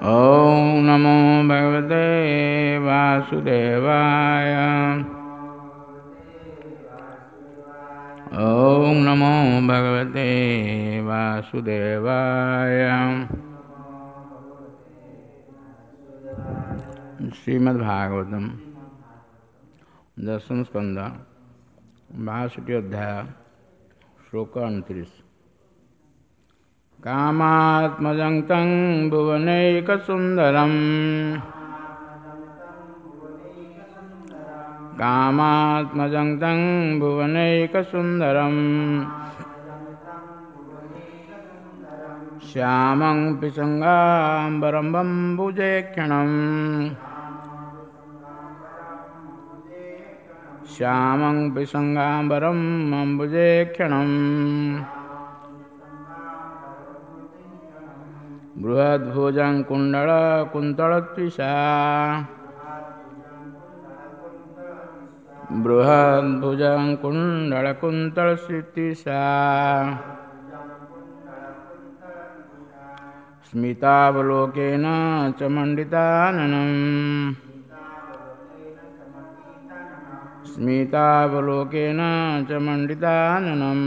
ॐ नमो भगवते वासुदेवाय। ॐ नमो भगवते वासुदेवाय। श्रीमद्भागवतम दशम स्कंद 62 अध्याय श्लोक 29। कामात्मजं तं भुवनैकसुन्दरम्। कामात्मजं तं भुवनैकसुन्दरम्। श्यामं पिसङ्गाम्बरं बम्बुजेक्षणम्। श्यामं पिसङ्गाम्बरं अम्बुजेक्षणम्। बृहद्भुजं कुण्डलकुन्तलत्विषा। बृहद्भुजं कुण्डलकुन्तलत्विषा। स्मितावलोकेन च मण्डिताननम्। स्मितावलोकेन च मण्डिताननम्।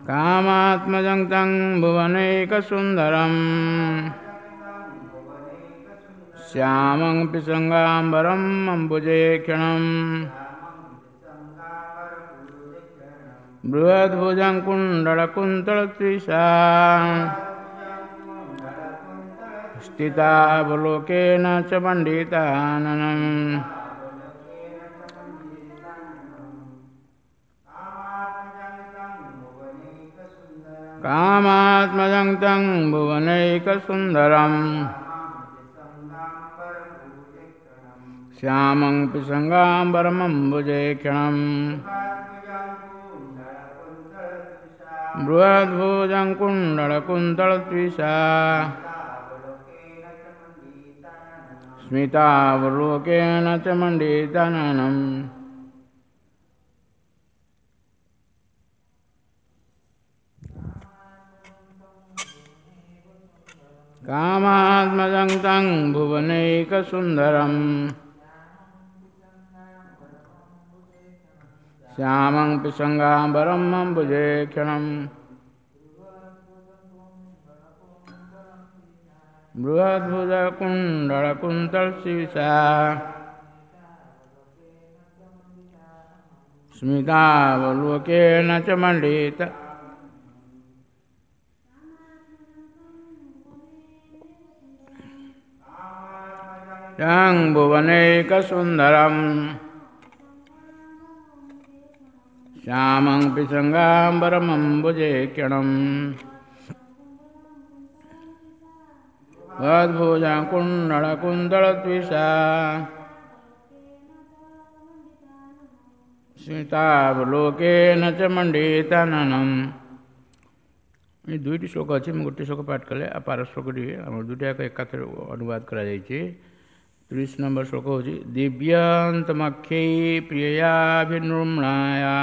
कामात्मजं तं भुवनैकसुन्दरम्। श्यामं पिसङ्गाम्बरम् अम्बुजेक्षणम्। बृहद्भुजं कुण्डलकुन्तलत्विषा। स्थितावलोकेन च मण्डिताननम्। कामात्मजं तं भुवनैकसुन्दरम्। श्यामं पिसङ्गाम्बरमम्बुजेक्षणम्। बृहद्भुजं कुण्डलकुन्तलत्विषा। स्मितावलोकेन च मण्डिताननम्। कामात्मजं तं भुवनैकसुन्दरम्। श्यामं पिसङ्गाम्बरम् अम्बुजेक्षणम्। बृहद्भुजकुण्डलकुन्तलशिषा। स्मितावलोकेन च मण्डित। तं भुवनैकसुन्दरम्। श्यामं पिसङ्गाम्बरमम्बुजेक्षणम्। बृहद्भुजं कुण्डलकुन्तलत्विषा। स्मितावलोकेन च मण्डिताननम्। ଏ ଦୁଇଟି ଶ୍ଲୋକ ଅଛି, ମୁଁ ଗୋଟିଏ ଶ୍ଲୋକ ପାଠ କଲେ ଆଉ ପାର ଶ୍ଲୋକଟି ଆମର ଦୁଇଟା ଯାକ ଏକାଥରେ ଅନୁବାଦ କରାଯାଇଛି। 30 ନମ୍ବର ଶ୍ଲୋକ ହେଉଛି ଦିବ୍ୟାନ୍ତମକ୍ଷୈ ପ୍ରିୟୟାଭିନୃମ୍ଣାୟା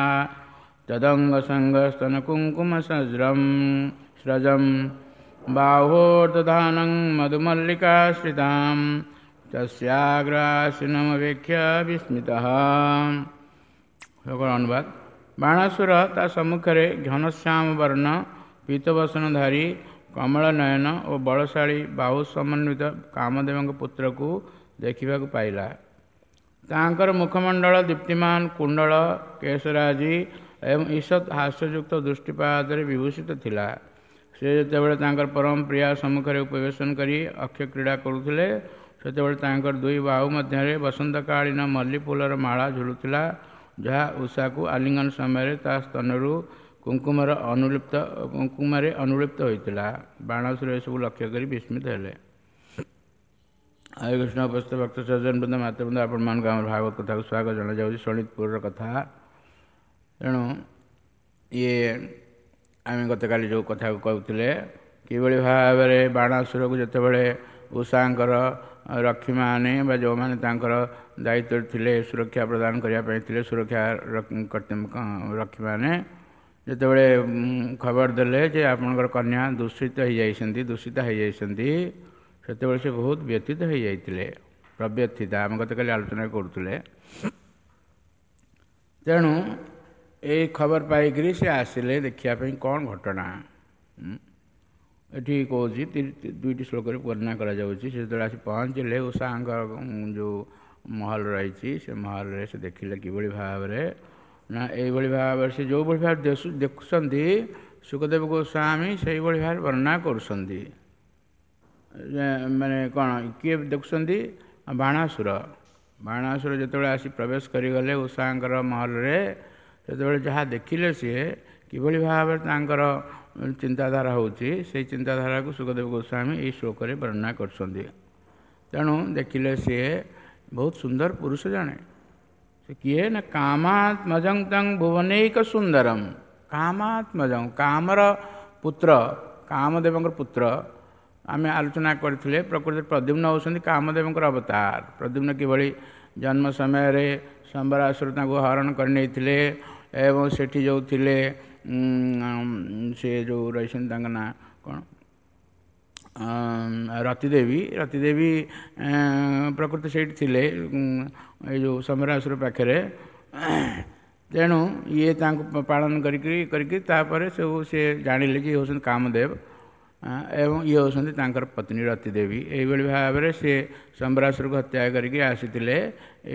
ତଦଙ୍ଗସଙ୍ଗସ୍ତନକୁଙ୍କୁମସଜ୍ରಂ ସ୍ରଜಂ ବାହୋର୍ଦଧାनं ମଧୁମଲ୍ଲିକାଶ୍ରିତାं ତସ୍ୟାଗ୍ରାସିନମବେକ୍ଷ୍ୟ ବିସ୍ମିତः। ଶ୍ଲୋକର ଅନୁବାଦ: ବାଣାସୁର ତା ସମ୍ମୁଖରେ ଘନଶ୍ୟାମ ବର୍ଣ୍ଣ ପୀତବସନଧାରୀ କମଳ ନୟନ ଓ ବଳଶାଳୀ ବାହୁ ସମନ୍ୱିତ କାମଦେବଙ୍କ ପୁତ୍ରକୁ ଦେଖିବାକୁ ପାଇଲା। ତାଙ୍କର ମୁଖମଣ୍ଡଳ ଦୀପ୍ତିମାନ, କୁଣ୍ଡଳ କେଶରାଜି ଏବଂ ଈଷତ୍ ହାସ୍ୟଯୁକ୍ତ ଦୃଷ୍ଟିପାତରେ ବିଭୂଷିତ ଥିଲା। ସେ ଯେତେବେଳେ ତାଙ୍କର ପରମ ପ୍ରିୟା ସମ୍ମୁଖରେ ଉପବେଶନ କରି ଅକ୍ଷ କ୍ରୀଡ଼ା କରୁଥିଲେ, ସେତେବେଳେ ତାଙ୍କର ଦୁଇ ବାହୁ ମଧ୍ୟରେ ବସନ୍ତକାଳୀନ ମଲ୍ଲିଫୁଲର ମାଳା ଝୁଲୁଥିଲା, ଯାହା ଉଷାକୁ ଆଲିଙ୍ଗନ ସମୟରେ ତା ସ୍ତନରୁ କୁଙ୍କୁମରେ ଅନୁଲିପ୍ତ ହୋଇଥିଲା। ବାଣାସୁର ଏସବୁ ଲକ୍ଷ୍ୟ କରି ବିସ୍ମିତ ହେଲେ। ହରେ କୃଷ୍ଣ। ଉପସ୍ଥିତ ଭକ୍ତ ସଜ୍ଜନ ବୃନ୍ଦ, ମାତୃବୃନ୍ଦ, ଆପଣମାନଙ୍କୁ ଆମର ଭାଗବତ କଥାକୁ ସ୍ୱାଗତ ଜଣାଯାଉଛି, ଶୋଣିତପୁରର କଥା। ତେଣୁ ଇଏ ଆମେ ଗତକାଲି ଯେଉଁ କଥାକୁ କହୁଥିଲେ, କିଭଳି ଭାବରେ ବାଣାସୁରକୁ ଯେତେବେଳେ ଉଷାଙ୍କର ରକ୍ଷୀମାନେ ବା ଯେଉଁମାନେ ତାଙ୍କର ଦାୟିତ୍ୱରେ ଥିଲେ, ସୁରକ୍ଷା ପ୍ରଦାନ କରିବା ପାଇଁ ଥିଲେ, ସୁରକ୍ଷା ରକ୍ଷୀମାନେ, ଯେତେବେଳେ ଖବର ଦେଲେ ଯେ ଆପଣଙ୍କର କନ୍ୟା ଦୂଷିତ ହେଇଯାଇଛନ୍ତି, ଦୂଷିତ ହେଇଯାଇଛନ୍ତି, ସେତେବେଳେ ସେ ବହୁତ ବ୍ୟଥିତ ହେଇଯାଇଥିଲେ। ପ୍ରବ୍ୟଥିତା ଆମେ ଗତକାଲି ଆଲୋଚନା କରୁଥିଲେ। ତେଣୁ ଏଇ ଖବର ପାଇକରି ସେ ଆସିଲେ ଦେଖିବା ପାଇଁ କ'ଣ ଘଟଣା। ଏଠି କହୁଛି ଦୁଇଟି ଶ୍ଲୋକରେ ବର୍ଣ୍ଣନା କରାଯାଉଛି। ସେ ଯେତେବେଳେ ଆସି ପହଞ୍ଚିଲେ ଉଷାଙ୍କ ଯେଉଁ ମହଲ ରହିଛି, ସେ ମହଲରେ ସେ ଦେଖିଲେ କିଭଳି ଭାବରେ ନା ଏଇଭଳି ଭାବରେ ସେ ଯେଉଁଭଳି ଭାବରେ ଦେଖୁଛନ୍ତି ଶୁକଦେବ ଗୋସ୍ୱାମୀ ସେଇଭଳି ଭାବରେ ବର୍ଣ୍ଣନା କରୁଛନ୍ତି। ମାନେ କ'ଣ କିଏ ଦେଖୁଛନ୍ତି? ବାଣାସୁର। ବାଣାସୁର ଯେତେବେଳେ ଆସି ପ୍ରବେଶ କରିଗଲେ ଉଷାଙ୍କର ମହଲରେ, ସେତେବେଳେ ଯାହା ଦେଖିଲେ ସିଏ କିଭଳି ଭାବରେ ତାଙ୍କର ଚିନ୍ତାଧାରା ହେଉଛି, ସେଇ ଚିନ୍ତାଧାରାକୁ ଶୁକଦେବ ଗୋସ୍ୱାମୀ ଏଇ ଶ୍ଲୋକରେ ବର୍ଣ୍ଣନା କରୁଛନ୍ତି। ତେଣୁ ଦେଖିଲେ ସିଏ ବହୁତ ସୁନ୍ଦର ପୁରୁଷ ଜଣେ। ସେ କିଏ ନା କାମାତ୍ମଜଂ ତଂ ଭୁବନୈକ ସୁନ୍ଦରମ୍। କାମାତ୍ମଜଂ, କାମର ପୁତ୍ର, କାମଦେବଙ୍କର ପୁତ୍ର। ଆମେ ଆଲୋଚନା କରିଥିଲେ ପ୍ରକୃତରେ ପ୍ରଦ୍ୟୁମ୍ନ ହେଉଛନ୍ତି କାମଦେବଙ୍କର ଅବତାର। ପ୍ରଦ୍ୟୁମ୍ନ କିଭଳି ଜନ୍ମ ସମୟରେ ସମ୍ବରାସୁର ତାଙ୍କୁ ହରଣ କରିନେଇଥିଲେ ଏବଂ ସେଠି ଯେଉଁ ଥିଲେ ସେ ଯେଉଁ ରହିଛନ୍ତି ତାଙ୍କ ନାଁ କ'ଣ, ରତିଦେବୀ। ରତିଦେବୀ ପ୍ରକୃତି ସେଇଠି ଥିଲେ ଏଇ ଯେଉଁ ସମ୍ବରାସୁର ପାଖରେ। ତେଣୁ ଇଏ ତାଙ୍କୁ ପାଳନ କରିକି କରିକି ତାପରେ ସବୁ ସେ ଜାଣିଲେ ଯେ ଇଏ ହେଉଛନ୍ତି କାମଦେବ ଏବଂ ଇଏ ହେଉଛନ୍ତି ତାଙ୍କର ପତ୍ନୀ ରତିଦେବୀ। ଏଇଭଳି ଭାବରେ ସେ ସମ୍ବରାସୁରକୁ ହତ୍ୟା କରିକି ଆସିଥିଲେ,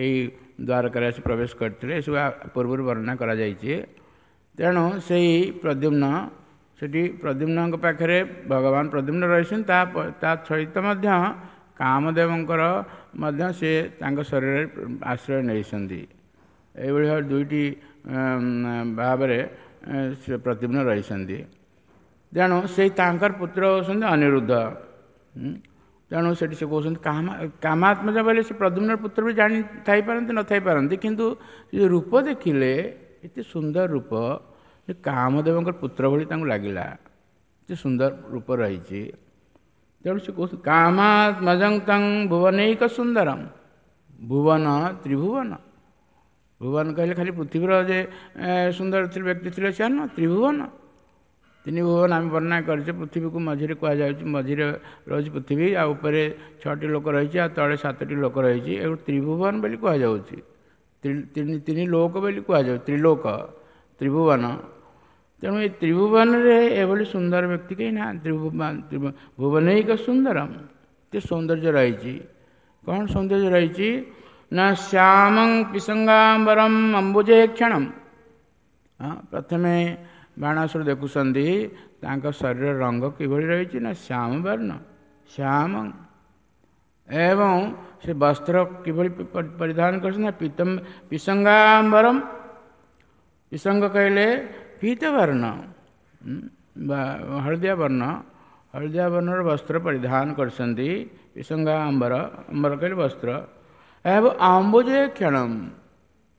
ଏଇ ଦ୍ୱାରକାରେ ଆସି ପ୍ରବେଶ କରିଥିଲେ। ଏସବୁ ପୂର୍ବରୁ ବର୍ଣ୍ଣନା କରାଯାଇଛି। ତେଣୁ ସେଇ ପ୍ରଦ୍ୟୁମ୍ନ ସେଠି ପ୍ରଦ୍ୟୁମ୍ନଙ୍କ ପାଖରେ ଭଗବାନ ପ୍ରଦ୍ୟୁମ୍ନ ରହିଛନ୍ତି, ତା ସହିତ ମଧ୍ୟ କାମଦେବଙ୍କର ମଧ୍ୟ ସେ ତାଙ୍କ ଶରୀରରେ ଆଶ୍ରୟ ନେଇଛନ୍ତି। ଏଇଭଳି ଭାବରେ ଦୁଇଟି ଭାବରେ ସେ ପ୍ରଦ୍ୟୁମ୍ନ ରହିଛନ୍ତି। ତେଣୁ ସେଇ ତାଙ୍କର ପୁତ୍ର ହେଉଛନ୍ତି ଅନିରୁଦ୍ଧ। ତେଣୁ ସେଠି ସେ କହୁଛନ୍ତି କାମାତ୍ମଜ ବୋଇଲେ ସେ ପ୍ରଦ୍ୟୁମ୍ନର ପୁତ୍ର ବି ଜାଣି ଥାଇପାରନ୍ତି ନଥାଇପାରନ୍ତି, କିନ୍ତୁ ସେ ରୂପ ଦେଖିଲେ ଏତେ ସୁନ୍ଦର ରୂପ ଯେ କାମଦେବଙ୍କର ପୁତ୍ର ଭଳି ତାଙ୍କୁ ଲାଗିଲା, ଏତେ ସୁନ୍ଦର ରୂପ ରହିଛି। ତେଣୁ ସେ କହୁଛନ୍ତି କାମାତ୍ମଜଂ ତଂ ଭୁବନୈକ ସୁନ୍ଦରମ୍। ଭୁବନ ତ୍ରିଭୁବନ, ଭୁବନ କହିଲେ ଖାଲି ପୃଥିବୀର ଯେ ସୁନ୍ଦର ବ୍ୟକ୍ତି ଥିଲେ ସେ ନୁହଁ, ତ୍ରିଭୁବନ, ତିନି ଭୁବନ ଆମେ ବର୍ଣ୍ଣନା କରିଛେ। ପୃଥିବୀକୁ ମଝିରେ କୁହାଯାଉଛି, ମଝିରେ ରହୁଛି ପୃଥିବୀ, ଆଉ ଉପରେ 6ଟି ଲୋକ ରହିଛି, ଆଉ ତଳେ 7ଟି ଲୋକ ରହିଛି। ଏକୁ ତ୍ରିଭୁବନ ବୋଲି କୁହାଯାଉଛି, ତିନି ଲୋକ ବୋଲି କୁହାଯାଉଛି, ତ୍ରିଲୋକ, ତ୍ରିଭୁବନ। ତେଣୁ ଏ ତ୍ରିଭୁବନରେ ଏଭଳି ସୁନ୍ଦର ବ୍ୟକ୍ତି କେହି ନାହାନ୍ତି। ଭୁବନୈକ ସୁନ୍ଦରମ୍, ଏତେ ସୌନ୍ଦର୍ଯ୍ୟ ରହିଛି। କ'ଣ ସୌନ୍ଦର୍ଯ୍ୟ ରହିଛି ନା ଶ୍ୟାମଂ ପିସଙ୍ଗାମ୍ବରମ୍ ଅମ୍ବୁଜେ କ୍ଷଣମ୍। ହଁ, ପ୍ରଥମେ ବାଣାସୁର ଦେଖୁଛନ୍ତି ତାଙ୍କ ଶରୀରର ରଙ୍ଗ କିଭଳି ରହିଛି ନା ଶ୍ୟାମ ବର୍ଣ୍ଣ, ଶ୍ୟାମ, ଏବଂ ସେ ବସ୍ତ୍ର କିଭଳି ପରିଧାନ କରିଛନ୍ତି ନା ପିସଙ୍ଗାମ୍ବରମ୍। ପିସଙ୍ଗ କହିଲେ ପୀତବର୍ଣ୍ଣ ବା ହଳଦିଆ ବର୍ଣ୍ଣ, ହଳଦିଆ ବର୍ଣ୍ଣର ବସ୍ତ୍ର ପରିଧାନ କରିଛନ୍ତି। ପିସଙ୍ଗାମ୍ବର, ଅମ୍ବର କହିଲେ ବସ୍ତ୍ର। ଏବଂ ଅମ୍ବୁଜେ କ୍ଷଣମ୍,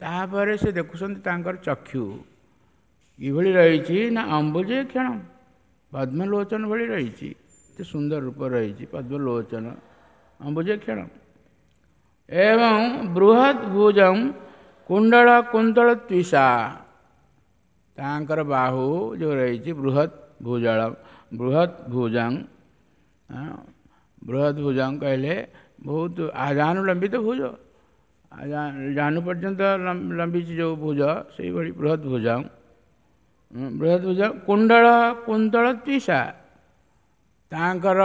ତାପରେ ସେ ଦେଖୁଛନ୍ତି ତାଙ୍କର ଚକ୍ଷୁ କିଭଳି ରହିଛି ନା ଅମ୍ବୁଜେ କ୍ଷଣମ୍, ପଦ୍ମଲୋଚନ ଭଳି ରହିଛି, ଏତେ ସୁନ୍ଦର ରୂପ ରହିଛି ପଦ୍ମଲୋଚନ, ଅମ୍ବୁଜେ କ୍ଷଣମ୍। ଏବଂ ବୃହତ୍ ଭୁଜಂ କୁଣ୍ଡଳ କୁନ୍ତଳ ତ୍ୱିଷା, ତାଙ୍କର ବାହୁ ଯେଉଁ ରହିଛି ବୃହତ୍ ଭୁଜଳ, ବୃହତ୍ ଭୁଜଂ, ବୃହତ୍ ଭୁଜଂ କହିଲେ ବହୁତ ଆଜାନୁଲମ୍ବିତ ଭୁଜ, ଜାନୁ ପର୍ଯ୍ୟନ୍ତ ଲମ୍ବିଛି ଯେଉଁ ଭୁଜ, ସେଇଭଳି ବୃହତ୍ ଭୁଜଂ, ବୃହତ୍ ଭୁଜ କୁଣ୍ଡଳ କୁନ୍ତଳ ତ୍ୱିଷା, ତାଙ୍କର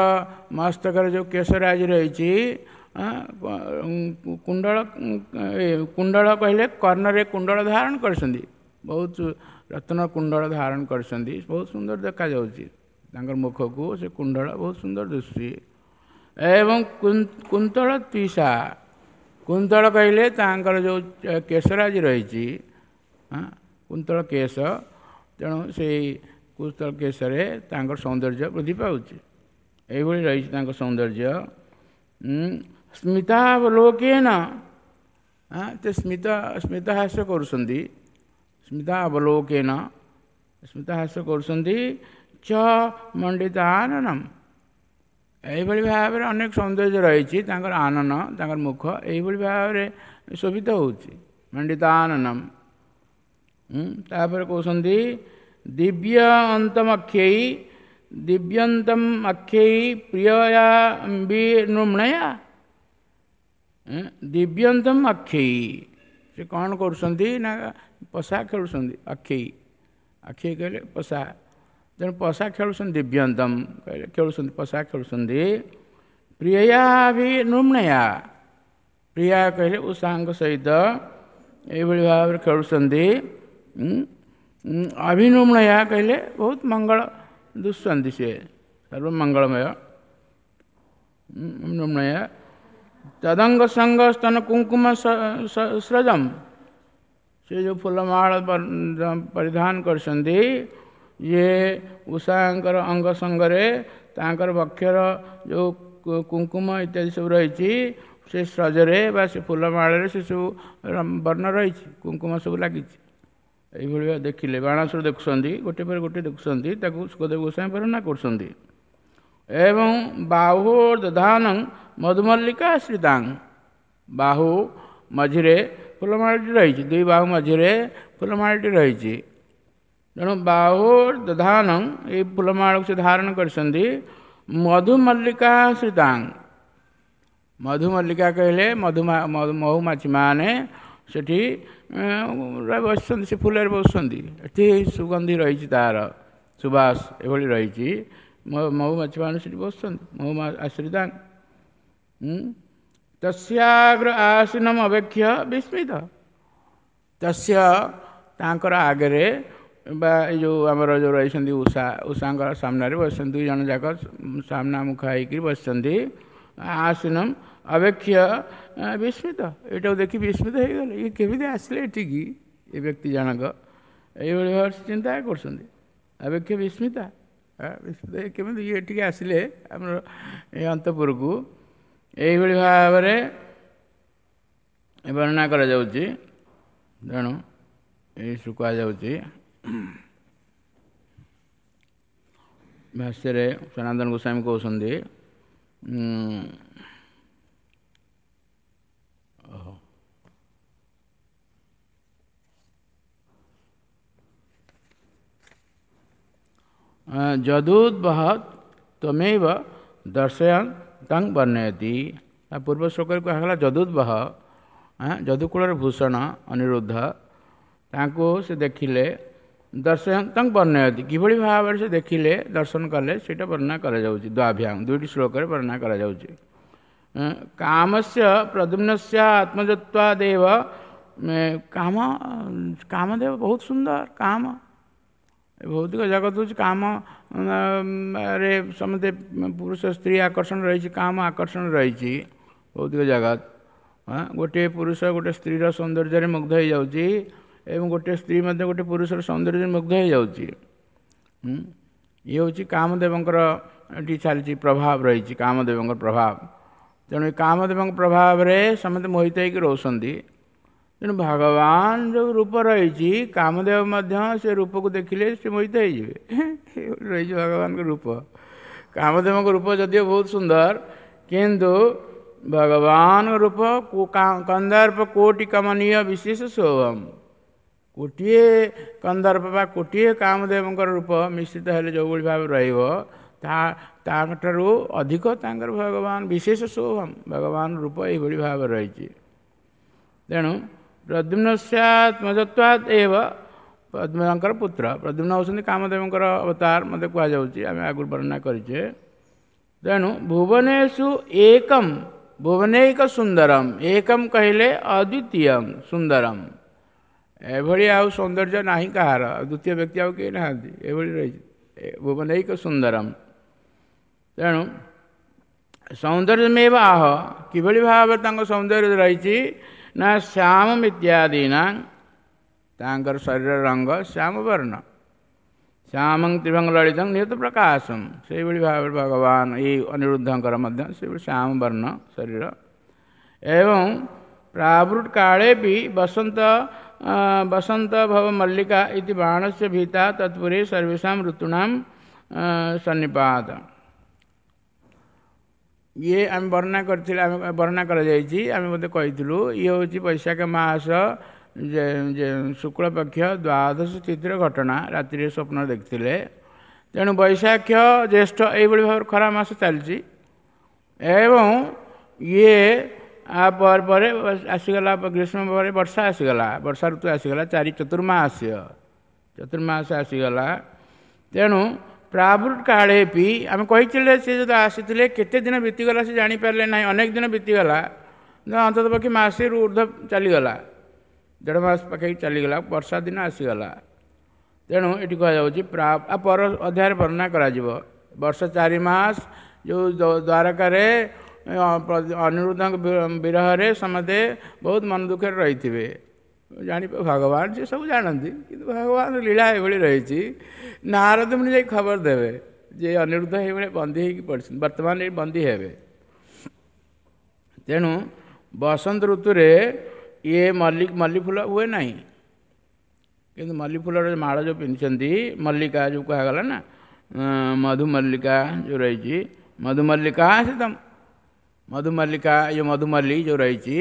ମସ୍ତକରେ ଯେଉଁ କେଶରାଜି ରହିଛି, କୁଣ୍ଡଳ, କୁଣ୍ଡଳ କହିଲେ କର୍ଣ୍ଣରେ କୁଣ୍ଡଳ ଧାରଣ କରିଛନ୍ତି, ବହୁତ ରତ୍ନ କୁଣ୍ଡଳ ଧାରଣ କରିଛନ୍ତି, ବହୁତ ସୁନ୍ଦର ଦେଖାଯାଉଛି ତାଙ୍କର ମୁଖକୁ ସେ କୁଣ୍ଡଳ ବହୁତ ସୁନ୍ଦର ଦିଶୁଛି। ଏବଂ କୁନ୍ତଳ ତ୍ୱିଷା, କୁନ୍ତଳ କହିଲେ ତାଙ୍କର ଯେଉଁ କେଶରାଜି ରହିଛି, କୁନ୍ତଳ କେଶ, ତେଣୁ ସେଇ କୁନ୍ତଳ କେଶରେ ତାଙ୍କର ସୌନ୍ଦର୍ଯ୍ୟ ବୃଦ୍ଧି ପାଉଛି। ଏଇଭଳି ରହିଛି ତାଙ୍କ ସୌନ୍ଦର୍ଯ୍ୟ। ସ୍ମିତାବଲୋକେନ, ସେ ସ୍ମିତାହାସ୍ୟ କରୁଛନ୍ତି, ସ୍ମିତାବଲୋକେନ ସ୍ମିତାହାସ୍ୟ କରୁଛନ୍ତି, ଚ ମଣ୍ଡିତାନନମ୍, ଏଇଭଳି ଭାବରେ ଅନେକ ସୌନ୍ଦର୍ଯ୍ୟ ରହିଛି ତାଙ୍କର ଆନନ, ତାଙ୍କର ମୁଖ ଏଇଭଳି ଭାବରେ ଶୋଭିତ ହେଉଛି, ମଣ୍ଡିତାନନମ୍। ତାପରେ କହୁଛନ୍ତି ଦିବ୍ୟ ଅନ୍ତମକ୍ଷେଇ ଦିବ୍ୟନ୍ତମ ଅକ୍ଷେଇ ପ୍ରିୟୟା ବିନୃମଣୟା। ଦିବ୍ୟନ୍ତମ ଅକ୍ଷେଇ, ସେ କ'ଣ କରୁଛନ୍ତି ନା ପଶା ଖେଳୁଛନ୍ତି। ଅକ୍ଷେଇ, ଅକ୍ଷେଇ କହିଲେ ପଶା, ତେଣୁ ପଶା ଖେଳୁଛନ୍ତି। ଦିବ୍ୟନ୍ତମ କହିଲେ ଖେଳୁଛନ୍ତି, ପଶା ଖେଳୁଛନ୍ତି। ପ୍ରିୟୟା ବିନୃମଣୟା, ପ୍ରିୟା କହିଲେ ଉଷାଙ୍କ ସହିତ ଏଇଭଳି ଭାବରେ ଖେଳୁଛନ୍ତି। ଅଭିନୁମଣୟା କହିଲେ ବହୁତ ମଙ୍ଗଳ ଦୁଶନ୍ତି, ସିଏ ସର୍ବମଙ୍ଗଳମୟ। ନୃମଣୟା ତଦଙ୍ଗ ସଙ୍ଗ ସ୍ତନ କୁଙ୍କୁମ ସ୍ରଜମ, ସେ ଯେଉଁ ଫୁଲମାଳ ପରିଧାନ କରିଛନ୍ତି, ଇଏ ଉଷାଙ୍କର ଅଙ୍ଗ ସଙ୍ଗରେ ତାଙ୍କର ବକ୍ଷର ଯେଉଁ କୁଙ୍କୁମ ଇତ୍ୟାଦି ସବୁ ରହିଛି, ସେ ସ୍ରଜରେ ବା ସେ ଫୁଲମାଳରେ ସେ ସବୁ ବର୍ଣ୍ଣ ରହିଛି, କୁଙ୍କୁମ ସବୁ ଲାଗିଛି। ଏଇଭଳି ଦେଖିଲେ ବାଣାସୁର ଦେଖୁଛନ୍ତି, ଗୋଟେ ପରେ ଗୋଟେ ଦେଖୁଛନ୍ତି, ତାକୁ ଶୁକଦେବ ଗୋସ୍ୱାମୀ ବର୍ଣ୍ଣନା କରୁଛନ୍ତି। ଏବଂ ବାହୁ ଦଧାନଂ ମଧୁମଲ୍ଲିକା ଶ୍ରୀତାଂ, ବାହୁ ମଝିରେ ଫୁଲମାଳଟି ରହିଛି, ଦୁଇ ବାହୁ ମଝିରେ ଫୁଲମାଳଟି ରହିଛି। ତେଣୁ ବାହୁ ଦଧାନଂ, ଏଇ ଫୁଲମାଳକୁ ସେ ଧାରଣ କରିଛନ୍ତି। ମଧୁମଲ୍ଲିକା ଶ୍ରୀତାଂ, ମଧୁମଲ୍ଲିକା କହିଲେ ମହୁମାଛିମାନେ ସେଠି ବସିଛନ୍ତି, ସେ ଫୁଲରେ ବସୁଛନ୍ତି, ଏଠି ସୁଗନ୍ଧି ରହିଛି, ତାର ସୁବାସ ଏଭଳି ରହିଛି। ମହୁମାଛିମାନେ ସେଠି ବସୁଛନ୍ତି, ମହୁ ଆଶ୍ରିତାଂ। ତସ୍ୟାଗ୍ର ଆସୀନମ ଅବେକ୍ଷ ବିସ୍ମିତ, ତସ୍ୟ ତାଙ୍କର ଆଗରେ ବା ଏଇ ଯେଉଁ ଆମର ଯେଉଁ ରହିଛନ୍ତି ଉଷା, ଉଷାଙ୍କର ସାମ୍ନାରେ ବସିଛନ୍ତି, ଦୁଇ ଜଣ ଯାକ ସାମ୍ନା ମୁଖ ହେଇକିରି ବସିଛନ୍ତି। ଆସୀନମ ଅବେକ୍ଷ ବିସ୍ମିତ, ଏଇଟାକୁ ଦେଖି ବିସ୍ମିତ ହେଇଗଲେ, ଇଏ କେମିତି ଆସିଲେ ଏଠିକି ଏ ବ୍ୟକ୍ତି ଜଣକ, ଏଇଭଳି ଭାବରେ ଚିନ୍ତା କରୁଛନ୍ତି। ଅବେକ୍ଷ ବିସ୍ମିତା, ବିସ୍ମିତ କେମିତି ଇଏ ଏଠିକି ଆସିଲେ ଆମର ଏ ଅନ୍ତପୁରକୁ, ଏଇଭଳି ଭାବରେ ବର୍ଣ୍ଣନା କରାଯାଉଛି। ତେଣୁ ଏଇ କୁହାଯାଉଛି ଭାଷ୍ୟରେ ସନାତନ ଗୋସ୍ୱାମୀ କହୁଛନ୍ତି, ଯଦୁଦ୍ବହ ତ୍ୱମେବ ଦର୍ଶୟନ୍ ତଂ ବର୍ଣ୍ଣୟତି। ତା ପୂର୍ବ ଶ୍ଲୋକରେ କୁହାଗଲା ଯଦୁଦ୍ବହ, ଯଦୁକୂଳର ଭୂଷଣ ଅନିରୁଦ୍ଧ, ତାଙ୍କୁ ସେ ଦେଖିଲେ, ଦର୍ଶୟନ୍ ତଂ ବର୍ଣ୍ଣୟତି, କିଭଳି ଭାବରେ ସେ ଦେଖିଲେ, ଦର୍ଶନ କଲେ, ସେଇଟା ବର୍ଣ୍ଣନା କରାଯାଉଛି। ଦ୍ୱାଭ୍ୟାଂ, ଦୁଇଟି ଶ୍ଲୋକରେ ବର୍ଣ୍ଣନା କରାଯାଉଛି। କାମସ୍ୟ ପ୍ରଦ୍ୟୁମ୍ନସ୍ୟ ଆତ୍ମଜତ୍ୱାଦେବ, କାମ, କାମଦେବ ବହୁତ ସୁନ୍ଦର। କାମ ଭୌତିକ ଜଗତ ହେଉଛି କାମରେ ସମସ୍ତେ ପୁରୁଷ ସ୍ତ୍ରୀ ଆକର୍ଷଣ ରହିଛି, କାମ ଆକର୍ଷଣ ରହିଛି ଭୌତିକ ଜଗତ। ଗୋଟିଏ ପୁରୁଷ ଗୋଟେ ସ୍ତ୍ରୀର ସୌନ୍ଦର୍ଯ୍ୟରେ ମୁଗ୍ଧ ହେଇଯାଉଛି, ଏବଂ ଗୋଟିଏ ସ୍ତ୍ରୀ ମଧ୍ୟ ଗୋଟେ ପୁରୁଷର ସୌନ୍ଦର୍ଯ୍ୟରେ ମୁଗ୍ଧ ହେଇଯାଉଛି। ଇଏ ହେଉଛି କାମଦେବଙ୍କର ଏଠି ଚାଲିଛି ପ୍ରଭାବ ରହିଛି, କାମଦେବଙ୍କର ପ୍ରଭାବ। ତେଣୁ ଏ କାମଦେବଙ୍କ ପ୍ରଭାବରେ ସମସ୍ତେ ମୋହିତ ହେଇକି ରହୁଛନ୍ତି। ତେଣୁ ଭଗବାନ ଯେଉଁ ରୂପ ରହିଛି, କାମଦେବ ମଧ୍ୟ ସେ ରୂପକୁ ଦେଖିଲେ ସେ ମୋହିତ ହେଇଯିବେ। ରହିଛି ଭଗବାନଙ୍କ ରୂପ। କାମଦେବଙ୍କ ରୂପ ଯଦିଓ ବହୁତ ସୁନ୍ଦର, କିନ୍ତୁ ଭଗବାନଙ୍କ ରୂପ କନ୍ଦର୍ପ କୋଟି କମନୀୟ ବିଶେଷ ଶୋଭମ, ଗୋଟିଏ କନ୍ଦର୍ପ ବା ଗୋଟିଏ କାମଦେବଙ୍କର ରୂପ ମିଶ୍ରିତ ହେଲେ ଯେଉଁଭଳି ଭାବେ ରହିବ, ତାଙ୍କଠାରୁ ଅଧିକ ତାଙ୍କର ଭଗବାନ ବିଶେଷ ଶୋଭମ, ଭଗବାନ ରୂପ ଏଇଭଳି ଭାବେ ରହିଛି। ତେଣୁ ପ୍ରଦ୍ୟୁମ୍ନସ୍ୟାତ୍ମଜତ୍ୱାତ୍ ଏବ, ପଦ୍ମଙ୍କର ପୁତ୍ର ପ୍ରଦ୍ୟୁମ୍ନ ହେଉଛନ୍ତି କାମଦେବଙ୍କର ଅବତାର ମଧ୍ୟ କୁହାଯାଉଛି, ଆମେ ଆଗରୁ ବର୍ଣ୍ଣନା କରିଛେ। ତେଣୁ ଭୁବନେଶୁ ଏକମ୍, ଭୁବନୈକ ସୁନ୍ଦରମ୍, ଏକମ୍ କହିଲେ ଅଦ୍ୱିତୀୟଂ ସୁନ୍ଦରମ୍, ଏଭଳି ଆଉ ସୌନ୍ଦର୍ଯ୍ୟ ନାହିଁ କାହାର, ଦ୍ୱିତୀୟ ବ୍ୟକ୍ତି ଆଉ କେହି ନାହାନ୍ତି, ଏଭଳି ରହିଛି ଭୁବନୈକ ସୁନ୍ଦରମ୍। ତେଣୁ ସୌନ୍ଦର୍ଯ୍ୟମେବ ଆହ, କିଭଳି ଭାବରେ ତାଙ୍କ ସୌନ୍ଦର୍ଯ୍ୟ ରହିଛି ନା ଶ୍ୟାମ ଇତ୍ୟାଦିନା, ତାଙ୍କର ଶରୀର ରଙ୍ଗ ଶ୍ୟାମ ବର୍ଣ୍ଣ, ଶ୍ୟାମଂ ତ୍ରିଭଙ୍ଗ ଲଳିତଂ ନିହତ ପ୍ରକାଶମ, ସେଇଭଳି ଭାବରେ ଭଗବାନ ଏଇ ଅନିରୁଦ୍ଧଙ୍କର ମଧ୍ୟ ସେଇଭଳି ଶ୍ୟାମ ବର୍ଣ୍ଣ ଶରୀର। ଏବଂ ପ୍ରାବୃତ କାଳେ ବି ବସନ୍ତ ବସନ୍ତ ଭବ ମଲ୍ଲିକା ଇତି ବାଣସ୍ୟ ଭୀତା ତତ୍ପୁରେ ସର୍ବେଷାं ଋତୂନାं ସନ୍ନିପାତ। ଇଏ ଆମେ ବର୍ଣ୍ଣନା କରିଥିଲେ, ଆମେ ବର୍ଣ୍ଣନା କରାଯାଇଛି, ଆମେ ମଧ୍ୟ କହିଥିଲୁ, ଇଏ ହେଉଛି ବୈଶାଖ ମାସ ଶୁକ୍ଳପକ୍ଷ ଦ୍ୱାଦଶ ତିଥିର ଘଟଣା ରାତିରେ ସ୍ୱପ୍ନ ଦେଖିଥିଲେ। ତେଣୁ ବୈଶାଖ, ଜ୍ୟେଷ୍ଠ ଏଇଭଳି ଭାବରେ ଖରା ମାସ ଚାଲିଛି ଏବଂ ଇଏ ଆ ପରେ ପରେ ଆସିଗଲା ଗ୍ରୀଷ୍ମ ପରେ ବର୍ଷା ଆସିଗଲା, ବର୍ଷା ଋତୁ ଆସିଗଲା, 4 ଚତୁର୍ମାସ, ଚତୁର୍ମାସ ଆସିଗଲା। ତେଣୁ ପ୍ରାବୃତ କାଳେ ପି ଆମେ କହିଥିଲେ ସେ ଯଦି ଆସିଥିଲେ କେତେ ଦିନ ବିତିଗଲା ସେ ଜାଣିପାରିଲେ ନାହିଁ, ଅନେକ ଦିନ ବିତିଗଲା, ଅନ୍ତତଃ ପକ୍ଷେ ମାସେରୁ ଉର୍ଦ୍ଧ୍ୱ ଚାଲିଗଲା, 1.5 ମାସ ପାଖାପାଖି ଚାଲିଗଲା, ବର୍ଷା ଦିନ ଆସିଗଲା। ତେଣୁ ଏଠି କୁହାଯାଉଛି ପର ଅଧ୍ୟାୟରେ ବର୍ଣ୍ଣନା କରାଯିବ। ବର୍ଷ 4 ମାସ ଯେଉଁ ଦ୍ୱାରକାରେ ଅନିରୁଦ୍ଧଙ୍କ ବିରହରେ ସମସ୍ତେ ବହୁତ ମନ ଦୁଃଖରେ ରହିଥିବେ। ଜାଣି ଭଗବାନ ସେ ସବୁ ଜାଣନ୍ତି, କିନ୍ତୁ ଭଗବାନ ଲୀଳା ଏଭଳି ରହିଛି, ନାରଦ ମୁନି ଯାଇ ଖବର ଦେବେ ଯେ ଅନିରୁଦ୍ଧ ଏଇଭଳି ବନ୍ଦୀ ହେଇକି ପଡ଼ିଛନ୍ତି, ବର୍ତ୍ତମାନ ଏଇ ବନ୍ଦୀ ହେବେ। ତେଣୁ ବସନ୍ତ ଋତୁରେ ଇଏ ମଲ୍ଲି ଫୁଲ ହୁଏ ନାହିଁ, କିନ୍ତୁ ମଲ୍ଲି ଫୁଲର ମାଳ ଯେଉଁ ପିନ୍ଧିଛନ୍ତି, ମଲ୍ଲିକା ଯେଉଁ କୁହାଗଲା ନା, ମଧୁମଲ୍ଲିକା ଯେଉଁ ରହିଛି, ମଧୁମଲ୍ଲିକା ସେ ତ ମଧୁମଲ୍ଲିକା, ଇଏ ମଧୁମଲ୍ଲି ଯେଉଁ ରହିଛି,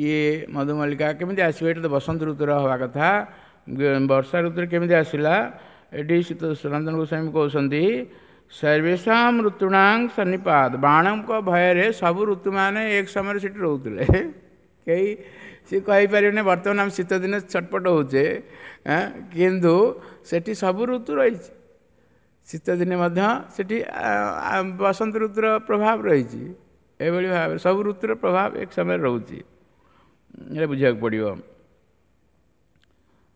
ଇଏ ମଧୁମଲ୍ଲିକା କେମିତି ଆସିବ? ଏଇଟା ତ ବସନ୍ତ ଋତୁର ହେବା କଥା, ବର୍ଷା ଋତୁରେ କେମିତି ଆସିଲା? ଏଠି ସନାତନ ଗୋସ୍ୱାମୀ କହୁଛନ୍ତି ସର୍ବେଷାମ ଋତୁଣାଂ ସନ୍ନିପାତ, ବାଣଙ୍କ ଭୟରେ ସବୁ ଋତୁମାନେ ଏକ ସମୟରେ ସେଠି ରହୁଥିଲେ। କେହି ସେ କହିପାରିବେନି ବର୍ତ୍ତମାନ ଆମେ ଶୀତ ଦିନେ ଛଟପଟ ହେଉଛେ, କିନ୍ତୁ ସେଠି ସବୁ ଋତୁ ରହିଛି। ଶୀତ ଦିନେ ମଧ୍ୟ ସେଠି ବସନ୍ତ ଋତୁର ପ୍ରଭାବ ରହିଛି। ଏଭଳି ଭାବରେ ସବୁ ଋତୁର ପ୍ରଭାବ ଏକ ସମୟରେ ରହୁଛି, ଏଇଟା ବୁଝିବାକୁ ପଡ଼ିବ।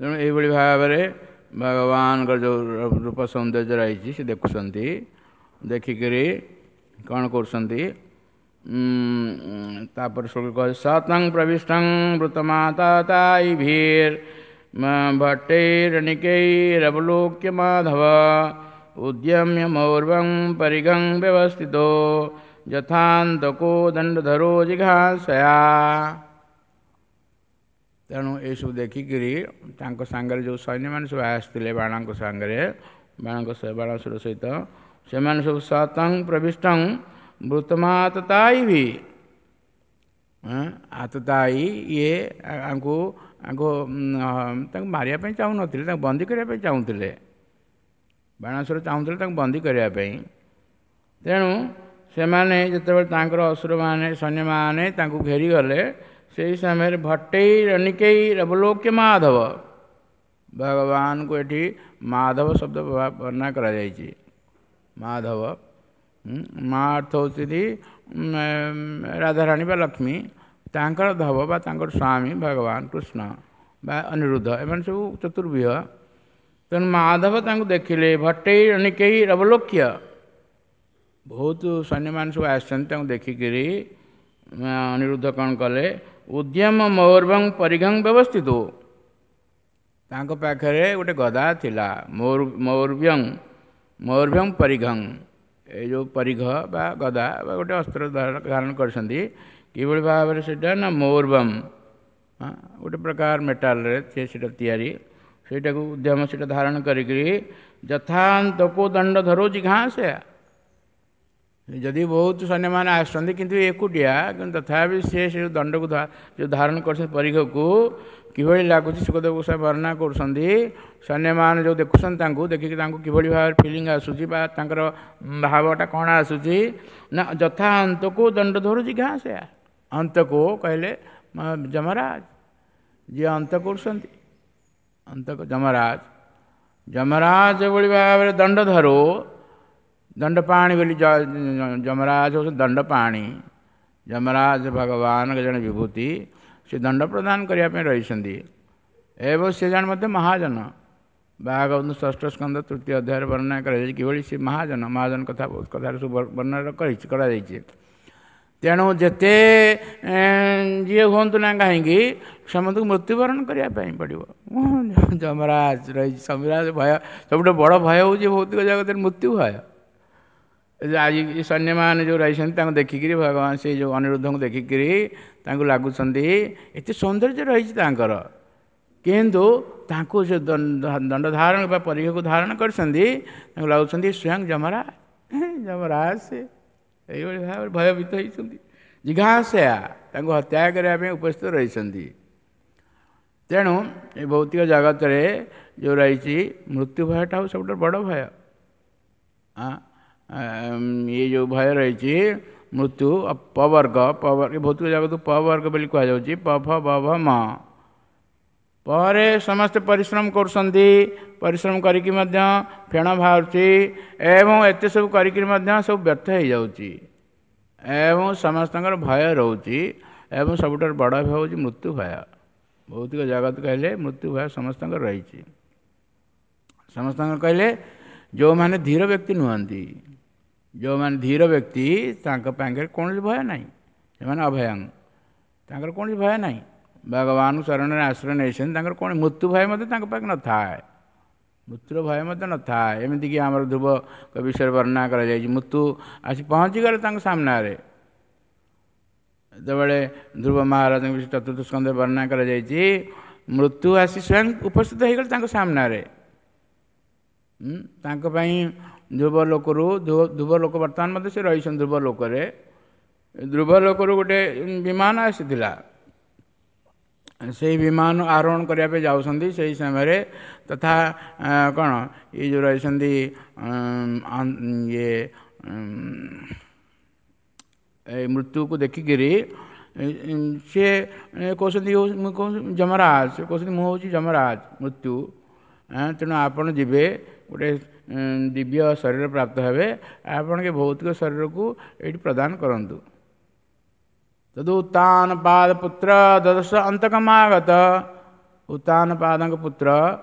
ତେଣୁ ଏଇଭଳି ଭାବରେ ଭଗବାନଙ୍କର ଯେଉଁ ରୂପ ସୌନ୍ଦର୍ଯ୍ୟ ରହିଛି ସେ ଦେଖୁଛନ୍ତି, ଦେଖିକରି କ'ଣ କରୁଛନ୍ତି। ତାପରେ ଶ୍ଲୋକ ସତଂ ପ୍ରବିଷ୍ଟଂ ବୃତମାତା ତାଇଭିର୍ ଭଟ୍ଟୈରନିକୈରବଲୋକ୍ୟ ମାଧବ ଉଦ୍ୟମ୍ୟ ମୌର୍ବଂ ପରିଗଂ ବ୍ୟବସ୍ଥିତୋ ଯଥାନ୍ତକୋ ଦଣ୍ଡଧରୋ ଜିଘାସୟା। ତେଣୁ ଏସବୁ ଦେଖିକିରି ତାଙ୍କ ସାଙ୍ଗରେ ଯେଉଁ ସୈନ୍ୟମାନେ ସବୁ ଆସିଥିଲେ ବାଣଙ୍କ ସାଙ୍ଗରେ, ବାଣଙ୍କ ବାଣାସୁର ସହିତ, ସେମାନେ ସବୁ ସତଂ ପ୍ରବିଷ୍ଟଂ ବୃତମାତତାଇ ଆତତାଇ, ଇଏ ଆଙ୍କୁ ଆଙ୍କୁ ତାଙ୍କୁ ମାରିବା ପାଇଁ ଚାହୁଁନଥିଲେ, ତାଙ୍କୁ ବନ୍ଦୀ କରିବା ପାଇଁ ଚାହୁଁଥିଲେ। ବାଣାସୁର ଚାହୁଁଥିଲେ ତାଙ୍କୁ ବନ୍ଦୀ କରିବା ପାଇଁ। ତେଣୁ ସେମାନେ ଯେତେବେଳେ ତାଙ୍କର ଅସୁରମାନେ ସୈନ୍ୟମାନେ ତାଙ୍କୁ ଘେରିଗଲେ, ସେହି ସମୟରେ ଭଟ୍ଟେଇ ରନିକେଇ ରବଲୋକ୍ୟ ମାଧବ, ଭଗବାନଙ୍କୁ ଏଠି ମାଧବ ଶବ୍ଦ ବର୍ଣ୍ଣନା କରାଯାଇଛି। ମାଧବ, ମା ଅର୍ଥ ହେଉଛନ୍ତି ରାଧାରାଣୀ ବା ଲକ୍ଷ୍ମୀ, ତାଙ୍କର ଧବ ବା ତାଙ୍କର ସ୍ୱାମୀ ଭଗବାନ କୃଷ୍ଣ ବା ଅନିରୁଦ୍ଧ, ଏମାନେ ସବୁ ଚତୁର୍ବ୍ୟୁହ। ତେଣୁ ମାଧବ ତାଙ୍କୁ ଦେଖିଲେ, ଭଟ୍ଟେଇ ରନିକେଇ ରବଲୋକ୍ୟ, ବହୁତ ସୈନ୍ୟମାନେ ସବୁ ଆସିଛନ୍ତି, ତାଙ୍କୁ ଦେଖିକିରି ଅନିରୁଦ୍ଧ କ'ଣ କଲେ, ଉଦ୍ୟମ ମୌର୍ବଂ ପରିଘଂ ବ୍ୟବସ୍ଥିତ, ତାଙ୍କ ପାଖରେ ଗୋଟେ ଗଦା ଥିଲା, ମୌର୍ବ୍ୟଂ ମୌର୍ବ୍ୟଂ ପରିଘଂ, ଏ ଯେଉଁ ପରିଘ ବା ଗଦା ବା ଗୋଟେ ଅସ୍ତ୍ର ଧାରଣ କରିଛନ୍ତି। କିଭଳି ଭାବରେ ସେଇଟା ନା ମୌର୍ବମ୍, ଗୋଟେ ପ୍ରକାର ମେଟାଲରେ ସେ ସେଇଟା ତିଆରି, ସେଇଟାକୁ ଉଦ୍ୟମ ସେଇଟା ଧାରଣ କରିକିରି ଯଥାନ୍ତକୁ ଦଣ୍ଡ ଧରୁଛି ଘାସ। ଯଦି ବହୁତ ସୈନ୍ୟମାନେ ଆସୁଛନ୍ତି କିନ୍ତୁ ଏକୁଟିଆ, କିନ୍ତୁ ତଥାପି ସେ ସେ ଦଣ୍ଡକୁ ଯେଉଁ ଧାରଣ କରୁଛନ୍ତି ପରିଘକୁ, କିଭଳି ଲାଗୁଛି ଶୁକଦେବ ଗୋସ୍ୱାମୀ ବର୍ଣ୍ଣନା କରୁଛନ୍ତି। ସୈନ୍ୟମାନେ ଯେଉଁ ଦେଖୁଛନ୍ତି ତାଙ୍କୁ ଦେଖିକି ତାଙ୍କୁ କିଭଳି ଭାବରେ ଫିଲିଙ୍ଗ ଆସୁଛି ବା ତାଙ୍କର ଭାବଟା କ'ଣ ଆସୁଛି ନା ଯଥା ଅନ୍ତକୁ ଦଣ୍ଡ ଧରୁଛି ଘାସ। ଅନ୍ତକୁ କହିଲେ ଯମରାଜ, ଯିଏ ଅନ୍ତ କରୁଛନ୍ତି, ଅନ୍ତକୁ ଯମରାଜ, ଯମରାଜ ଯେଭଳି ଭାବରେ ଦଣ୍ଡ ଧରୁ, ଦଣ୍ଡପାଣି ବୋଲି ଯମରାଜ ହେଉଛନ୍ତି ଦଣ୍ଡପାଣି। ଯମରାଜ ଭଗବାନଙ୍କ ଜଣେ ବିଭୂତି, ସେ ଦଣ୍ଡ ପ୍ରଦାନ କରିବା ପାଇଁ ରହିଛନ୍ତି ଏବଂ ସେ ଜଣେ ମଧ୍ୟ ମହାଜନ। ଭାଗବତ ଷଷ୍ଠ ସ୍କନ୍ଧ ତୃତୀୟ ଅଧ୍ୟାୟରେ ବର୍ଣ୍ଣନା କରାଯାଇଛି କିଭଳି ସେ ମହାଜନ, ମହାଜନ କଥା ବହୁତ କଥାରେ ସବୁ ବର୍ଣ୍ଣନା କରାଯାଇଛି। ତେଣୁ ଯେତେ ଯିଏ ହୁଅନ୍ତୁ ନା କାହିଁକି ସମସ୍ତଙ୍କୁ ମୃତ୍ୟୁବରଣ କରିବା ପାଇଁ ପଡ଼ିବ। ଯମରାଜ ରହିଛି, ଯମରାଜ ଭୟ ସବୁଠୁ ବଡ଼ ଭୟ ହେଉଛି ଭୌତିକ ଜଗତରେ ମୃତ୍ୟୁ ଭୟ। ଆଜି ସୈନ୍ୟମାନେ ଯେଉଁ ରହିଛନ୍ତି ତାଙ୍କୁ ଦେଖିକିରି ଭଗବାନ ସେଇ ଯେଉଁ ଅନିରୁଦ୍ଧଙ୍କୁ ଦେଖିକିରି ତାଙ୍କୁ ଲାଗୁଛନ୍ତି ଏତେ ସୌନ୍ଦର୍ଯ୍ୟ ରହିଛି ତାଙ୍କର, କିନ୍ତୁ ତାଙ୍କୁ ସେ ଦଣ୍ଡ ଧାରଣ ବା ପରିଘକୁ ଧାରଣ କରିଛନ୍ତି, ତାଙ୍କୁ ଲାଗୁଛନ୍ତି ସ୍ୱୟଂ ଯମରାଜ, ଯମରାଜ ସେ ଏଇଭଳି ଭାବରେ ଭୟଭୀତ ହେଇଛନ୍ତି। ଜିଘାସୟା ତାଙ୍କୁ ହତ୍ୟା କରିବା ପାଇଁ ଉପସ୍ଥିତ ରହିଛନ୍ତି। ତେଣୁ ଏ ଭୌତିକ ଜଗତରେ ଯେଉଁ ରହିଛି ମୃତ୍ୟୁ ଭୟଟା ହେଉଛି ସବୁଠାରୁ ବଡ଼ ଭୟ। ଇଏ ଯେଉଁ ଭୟ ରହିଛି ମୃତ୍ୟୁ, ପବର୍ଗ, ପବର୍ଗ, ଭୌତିକ ଜଗତକୁ ପବର୍ଗ ବୋଲି କୁହାଯାଉଛି। ପ ଫ ବ ଭ ମ ପରେ ସମସ୍ତେ ପରିଶ୍ରମ କରୁଛନ୍ତି, ପରିଶ୍ରମ କରିକି ମଧ୍ୟ ଫେଣ ବାହାରୁଛି ଏବଂ ଏତେ ସବୁ କରିକିରି ମଧ୍ୟ ସବୁ ବ୍ୟର୍ଥ ହେଇଯାଉଛି ଏବଂ ସମସ୍ତଙ୍କର ଭୟ ରହୁଛି। ଏବଂ ସବୁଠାରୁ ବଡ଼ ଭୟ ହେଉଛି ମୃତ୍ୟୁ ଭୟ। ଭୌତିକ ଜଗତ କହିଲେ ମୃତ୍ୟୁ ଭୟ ସମସ୍ତଙ୍କର ରହିଛି। ସମସ୍ତଙ୍କର କହିଲେ ଯେଉଁମାନେ ଧୀର ବ୍ୟକ୍ତି ନୁହନ୍ତି, ଯେଉଁମାନେ ଧୀର ବ୍ୟକ୍ତି ତାଙ୍କ ପାଖରେ କୌଣସି ଭୟ ନାହିଁ, ସେମାନେ ଅଭୟଂ, ତାଙ୍କର କୌଣସି ଭୟ ନାହିଁ। ଭଗବାନ ଶରଣରେ ଆଶ୍ରୟ ନେଇଛନ୍ତି, ତାଙ୍କର କୌଣସି ମୃତ୍ୟୁ ଭୟ ମଧ୍ୟ ତାଙ୍କ ପାଖରେ ନଥାଏ, ମୃତ୍ୟୁର ଭୟ ମଧ୍ୟ ନଥାଏ। ଏମିତିକି ଆମର ଧ୍ରୁବ ବିଷୟରେ ବର୍ଣ୍ଣନା କରାଯାଇଛି, ମୃତ୍ୟୁ ଆସି ପହଞ୍ଚିଗଲେ ତାଙ୍କ ସାମ୍ନାରେ। ଯେତେବେଳେ ଧ୍ରୁବ ମହାରାଜଙ୍କ ବିଷୟ ଚତୁର୍ଥ ସ୍କନ୍ଧରେ ବର୍ଣ୍ଣନା କରାଯାଇଛି, ମୃତ୍ୟୁ ଆସି ସ୍ୱୟଂ ଉପସ୍ଥିତ ହେଇଗଲେ ତାଙ୍କ ସାମ୍ନାରେ। ତାଙ୍କ ପାଇଁ ଧ୍ରୁବ ଲୋକରୁ, ଧ୍ରୁବ ଲୋକ ବର୍ତ୍ତମାନ ମଧ୍ୟ ସେ ରହିଛନ୍ତି ଧ୍ରୁବ ଲୋକରେ। ଧ୍ରୁବ ଲୋକରୁ ଗୋଟେ ବିମାନ ଆସିଥିଲା, ସେଇ ବିମାନ ଆରୋହଣ କରିବା ପାଇଁ ଯାଉଛନ୍ତି। ସେଇ ସମୟରେ ତଥା କ'ଣ ଏଇ ଯେଉଁ ରହିଛନ୍ତି ଇଏ ଏ ମୃତ୍ୟୁକୁ ଦେଖିକିରି ସିଏ କହୁଛନ୍ତି, ମୁଁ କହୁଛି ଯମରାଜ, ସେ କହୁଛନ୍ତି ମୁଁ ହେଉଛି ଯମରାଜ ମୃତ୍ୟୁ, ତେଣୁ ଆପଣ ଯିବେ ଗୋଟେ ଦିବ୍ୟ ଶରୀର ପ୍ରାପ୍ତ ହେବେ, ଆପଣ ଏ ଭୌତିକ ଶରୀରକୁ ଏଇଠି ପ୍ରଦାନ କରନ୍ତୁ। ତଦୁତ୍ତାନ ପାଦ ପୁତ୍ର ଦଦଶ ଅନ୍ତକମାଗତ, ଉତ୍ତାନ ପାଦଙ୍କ ପୁତ୍ର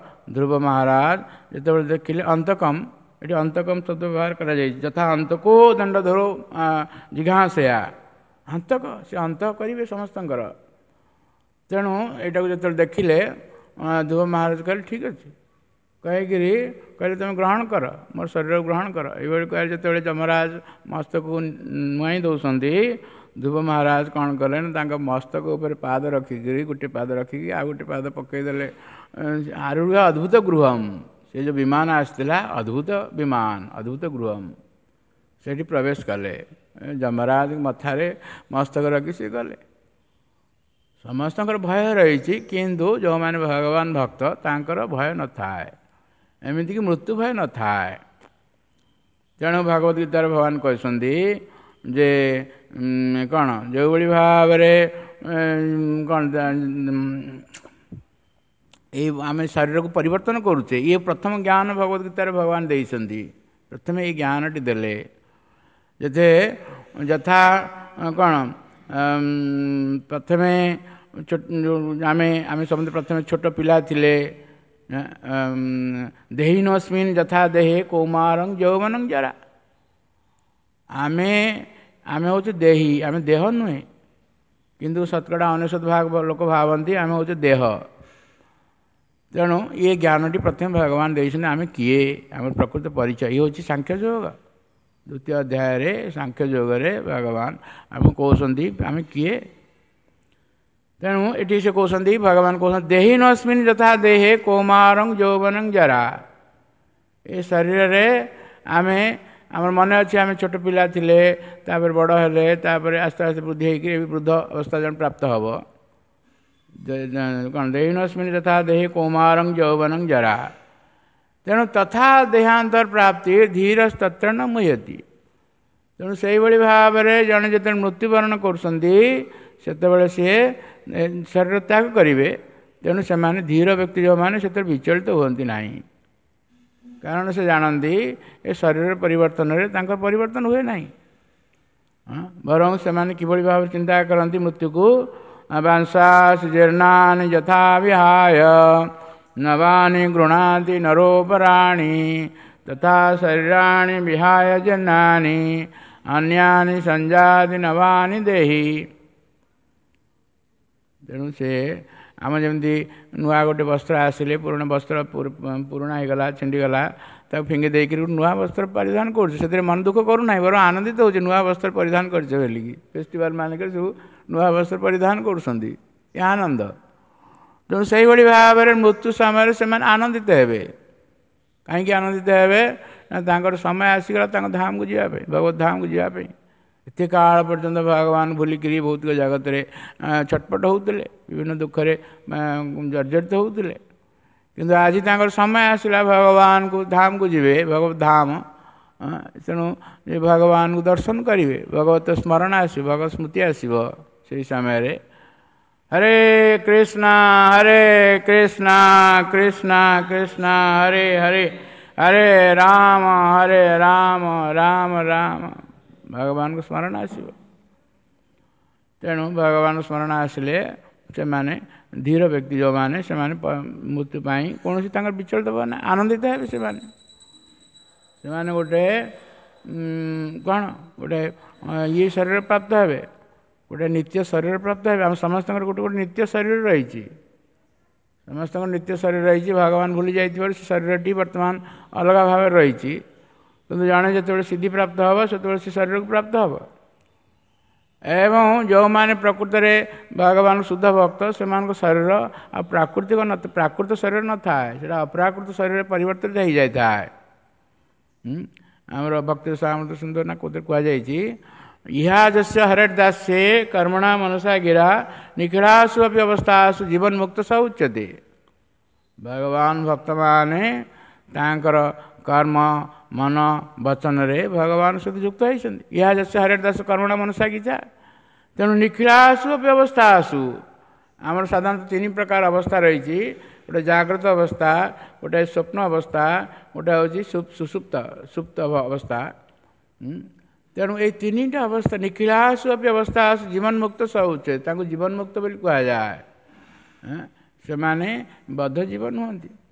ଧ୍ରୁବ ମହାରାଜ ଯେତେବେଳେ ଦେଖିଲେ ଅନ୍ତକମ, ଏଠି ଅନ୍ତକମ ଶବ୍ଦ ବ୍ୟବହାର କରାଯାଇଛି, ଯଥା ଅନ୍ତକୋ ଦଣ୍ଡଧରୋ ଜିଘାଂସୟା, ଅନ୍ତକ ସେ ଅନ୍ତ କରିବେ ସମସ୍ତଙ୍କର। ତେଣୁ ଏଇଟାକୁ ଯେତେବେଳେ ଦେଖିଲେ ଧ୍ରୁବ ମହାରାଜ କହିଲେ ଠିକ୍ ଅଛି, କହିକିରି କହିଲେ ତୁମେ ଗ୍ରହଣ କର, ମୋର ଶରୀରକୁ ଗ୍ରହଣ କର। ଏଇଭଳି କହିଲେ ଯେତେବେଳେ ଯମରାଜ ମସ୍ତକକୁ ନୁଆଇଁ ଦେଉଛନ୍ତି, ଧ୍ରୁବ ମହାରାଜ କ'ଣ କଲେ ନା ତାଙ୍କ ମସ୍ତକ ଉପରେ ପାଦ ରଖିକିରି, ଗୋଟେ ପାଦ ରଖିକି ଆଉ ଗୋଟେ ପାଦ ପକାଇଦେଲେ। ଆରୁଢ଼ ଅଦ୍ଭୁତ ଗୃହମ୍, ସେ ଯେଉଁ ବିମାନ ଆସିଥିଲା ଅଦ୍ଭୁତ ବିମାନ, ଅଦ୍ଭୁତ ଗୃହମ୍, ସେଠି ପ୍ରବେଶ କଲେ। ଯମରାଜ ମଥାରେ ମସ୍ତକ ରଖି ସେ ଗଲେ। ସମସ୍ତଙ୍କର ଭୟ ରହିଛି, କିନ୍ତୁ ଯେଉଁମାନେ ଭଗବାନ ଭକ୍ତ ତାଙ୍କର ଭୟ ନଥାଏ, ଏମିତିକି ମୃତ୍ୟୁ ଭୟ ନଥାଏ। ତେଣୁ ଭଗବତ ଗୀତାରେ ଭଗବାନ କହିଛନ୍ତି ଯେ କ'ଣ ଯେଉଁଭଳି ଭାବରେ କ'ଣ ଏଇ ଆମେ ଶରୀରକୁ ପରିବର୍ତ୍ତନ କରୁଛେ, ଇଏ ପ୍ରଥମ ଜ୍ଞାନ ଭଗବତ ଗୀତାରେ ଭଗବାନ ଦେଇଛନ୍ତି। ପ୍ରଥମେ ଏଇ ଜ୍ଞାନଟି ଦେଲେ ଯେତେ ଯଥା କ'ଣ ପ୍ରଥମେ ଆମେ ଆମେ ସମସ୍ତେ ପ୍ରଥମେ ଛୋଟ ପିଲା ଥିଲେ। ଦେହିନୋସ୍ମିନ୍ ଯଥା ଦେହେ କୌମାରଂ ଯୌବନଂ ଜରା, ଆମେ ଆମେ ହେଉଛୁ ଦେହୀ, ଆମେ ଦେହ ନୁହେଁ। କିନ୍ତୁ 99% ଭାଗ ଲୋକ ଭାବନ୍ତି ଆମେ ହେଉଛୁ ଦେହ। ତେଣୁ ଇଏ ଜ୍ଞାନଟି ପ୍ରଥମେ ଭଗବାନ ଦେଇଛନ୍ତି, ଆମେ କିଏ, ଆମର ପ୍ରକୃତ ପରିଚୟ। ଇଏ ହେଉଛି ସାଂଖ୍ୟ ଯୋଗ। ଦ୍ୱିତୀୟ ଅଧ୍ୟାୟରେ ସାଂଖ୍ୟ ଯୋଗରେ ଭଗବାନ ଆମକୁ କହୁଛନ୍ତି ଆମେ କିଏ। ତେଣୁ ଏଠି ସେ କହୁଛନ୍ତି, ଭଗବାନ କହୁଛନ୍ତି ଦେହି ନସ୍ମିନ୍ ଯଥା ଦେହେ କୌମାରଂ ଯୌବନଂ ଜରା। ଏ ଶରୀରରେ ଆମେ, ଆମର ମନେ ଅଛି ଆମେ ଛୋଟ ପିଲା ଥିଲେ, ତାପରେ ବଡ଼ ହେଲେ, ତାପରେ ଆସ୍ତେ ଆସ୍ତେ ବୃଦ୍ଧି ହେଇକି ବୃଦ୍ଧ ଅବସ୍ଥା ଜଣେ ପ୍ରାପ୍ତ ହେବ। କ'ଣ ଦେହି ନସ୍ମିନ୍ ଯଥା ଦେହେ କୌମାରଂ ଯୌବନଂ ଜରା। ତେଣୁ ତଥା ଦେହାନ୍ତର ପ୍ରାପ୍ତି ଧୀର ତତ୍ର ନ ମୁହ୍ୟତି। ତେଣୁ ସେଇଭଳି ଭାବରେ ଜଣେ ଯେତେବେଳେ ମୃତ୍ୟୁବରଣ କରୁଛନ୍ତି ସେତେବେଳେ ସିଏ ଶରୀର ତ୍ୟାଗ କରିବେ। ତେଣୁ ସେମାନେ ଧୀର ବ୍ୟକ୍ତି ଯେଉଁମାନେ ସେଥିରେ ବିଚଳିତ ହୁଅନ୍ତି ନାହିଁ, କାରଣ ସେ ଜାଣନ୍ତି ଏ ଶରୀର ପରିବର୍ତ୍ତନରେ ତାଙ୍କର ପରିବର୍ତ୍ତନ ହୁଏ ନାହିଁ। ବରଂ ସେମାନେ କିଭଳି ଭାବରେ ଚିନ୍ତା କରନ୍ତି ମୃତ୍ୟୁକୁ, ବାଂଶାସ ଜୀର୍ଣ୍ଣାନି ଯଥା ବିହାୟ ନବାନି ଗୃଣାତି ନରୋପରାଣି ତଥା ଶରୀରାଣି ବିହାୟ ଜୀର୍ଣ୍ଣାନି ଅନ୍ୟାନି ସଂଜାତି ନବାନି ଦେହି। ତେଣୁ ସେ ଆମ ଯେମିତି ନୂଆ ଗୋଟେ ବସ୍ତ୍ର ଆସିଲେ ପୁରୁଣା ବସ୍ତ୍ର ପୁରୁଣା ହେଇଗଲା, ଛିଣ୍ଡିଗଲା, ତାକୁ ଫିଙ୍ଗି ଦେଇକରି ନୂଆ ବସ୍ତ୍ର ପରିଧାନ କରୁଛୁ, ସେଥିରେ ମନ ଦୁଃଖ କରୁନାହିଁ, ବରଂ ଆନନ୍ଦିତ ହେଉଛି ନୂଆ ବସ୍ତ୍ର ପରିଧାନ କରିଛେ ବୋଲିକି। ଫେଷ୍ଟିଭାଲ ମାନଙ୍କରେ ସବୁ ନୂଆ ବସ୍ତ୍ର ପରିଧାନ କରୁଛନ୍ତି, ଏ ଆନନ୍ଦ। ତେଣୁ ସେଇଭଳି ଭାବରେ ମୃତ୍ୟୁ ସମୟରେ ସେମାନେ ଆନନ୍ଦିତ ହେବେ। କାହିଁକି ଆନନ୍ଦିତ ହେବେ ନା ତାଙ୍କର ସମୟ ଆସିଗଲା ତାଙ୍କ ଧାମକୁ ଯିବା ପାଇଁ, ଭଗବତ ଧାମକୁ ଯିବା ପାଇଁ। ଏତେ କାଳ ପର୍ଯ୍ୟନ୍ତ ଭଗବାନ ଭୁଲିକିରି ଭୌତିକ ଜଗତରେ ଛଟପଟ ହେଉଥିଲେ, ବିଭିନ୍ନ ଦୁଃଖରେ ଜର୍ଜରିତ ହେଉଥିଲେ। କିନ୍ତୁ ଆଜି ତାଙ୍କର ସମୟ ଆସିଲା, ଭଗବାନଙ୍କୁ ଧାମକୁ ଯିବେ, ଭଗବତ ଧାମ। ତେଣୁ ଭଗବାନଙ୍କୁ ଦର୍ଶନ କରିବେ, ଭଗବତ ସ୍ମରଣ ଆସିବ, ଭଗବତ ସ୍ମୃତି ଆସିବ। ସେଇ ସମୟରେ ହରେ କୃଷ୍ଣ ହରେ କୃଷ୍ଣ କୃଷ୍ଣ କୃଷ୍ଣ ହରେ ହରେ, ହରେ ରାମ ହରେ ରାମ ରାମ ରାମ, ଭଗବାନଙ୍କୁ ସ୍ମରଣ ଆସିବ। ତେଣୁ ଭଗବାନ ସ୍ମରଣ ଆସିଲେ ସେମାନେ ଧୀର ବ୍ୟକ୍ତି ଯେଉଁମାନେ, ସେମାନେ ମୃତ୍ୟୁ ପାଇଁ କୌଣସି ତାଙ୍କର ବିଚଳିତ ହେବ ନା, ଆନନ୍ଦିତ ହେବେ ସେମାନେ। ସେମାନେ ଗୋଟେ କ'ଣ ଗୋଟେ ଇଏ ଶରୀର ପ୍ରାପ୍ତ ହେବେ, ଗୋଟେ ନିତ୍ୟ ଶରୀର ପ୍ରାପ୍ତ ହେବେ। ଆମ ସମସ୍ତଙ୍କର ଗୋଟେ ଗୋଟେ ନିତ୍ୟ ଶରୀର ରହିଛି, ସମସ୍ତଙ୍କର ନିତ୍ୟ ଶରୀର ରହିଛି। ଭଗବାନ ଭୁଲି ଯାଇଥିବାରୁ ସେ ଶରୀରଟି ବର୍ତ୍ତମାନ ଅଲଗା ଭାବରେ ରହିଛି। କିନ୍ତୁ ଜଣେ ଯେତେବେଳେ ସିଦ୍ଧି ପ୍ରାପ୍ତ ହେବ, ସେତେବେଳେ ସେ ଶରୀରକୁ ପ୍ରାପ୍ତ ହେବ। ଏବଂ ଯେଉଁମାନେ ପ୍ରକୃତରେ ଭଗବାନ ଶୁଦ୍ଧ ଭକ୍ତ, ସେମାନଙ୍କ ଶରୀର ଆଉ ପ୍ରାକୃତିକ ପ୍ରାକୃତ ଶରୀର ନଥାଏ, ସେଇଟା ଅପ୍ରାକୃତ ଶରୀରରେ ପରିବର୍ତ୍ତିତ ହେଇଯାଇଥାଏ। ଆମର ଭକ୍ତି ସାମନ୍ତ ସୁନ୍ଦର ନା କୋଉଥିରେ କୁହାଯାଇଛି, ଇହା ଯସ୍ୟ ହରେଟ ଦାସ୍ୟେ କର୍ମଣା ମନସା ଗିରା ନିଖିଳାସୁ ଅପି ଅବସ୍ଥାସୁ ଜୀବନ ମୁକ୍ତ ସ ଉଚ୍ୟତେ। ଭଗବାନ ଭକ୍ତମାନେ ତାଙ୍କର କର୍ମ ମନ ବଚନରେ ଭଗବାନ ସହିତ ଯୁକ୍ତ ହେଇଛନ୍ତି। ଇହା ଯସ୍ୟ ହରେଟ ଦାସ କର୍ମଣା ମନସା ଗୀତା। ତେଣୁ ନିଖିଳାସୁ ଅପି ଅବସ୍ଥା ଆସୁ, ଆମର ସାଧାରଣତଃ ତିନି ପ୍ରକାର ଅବସ୍ଥା ରହିଛି। ଗୋଟେ ଜାଗ୍ରତ ଅବସ୍ଥା, ଗୋଟେ ସ୍ୱପ୍ନ ଅବସ୍ଥା, ଗୋଟେ ହେଉଛି ସୁସୁପ୍ତ ସୁପ୍ତ ଅବସ୍ଥା। ତେଣୁ ଏଇ ତିନିଟା ଅବସ୍ଥା ନିଖିଳାସୁ ଅପି ଅବସ୍ଥା ଆସୁ ଜୀବନ ମୁକ୍ତ ସ ଉଚ୍ୟତେ, ତାଙ୍କୁ ଜୀବନ ମୁକ୍ତ ବୋଲି କୁହାଯାଏ। ସେମାନେ ବଦ୍ଧ ଜୀବ ନୁହନ୍ତି।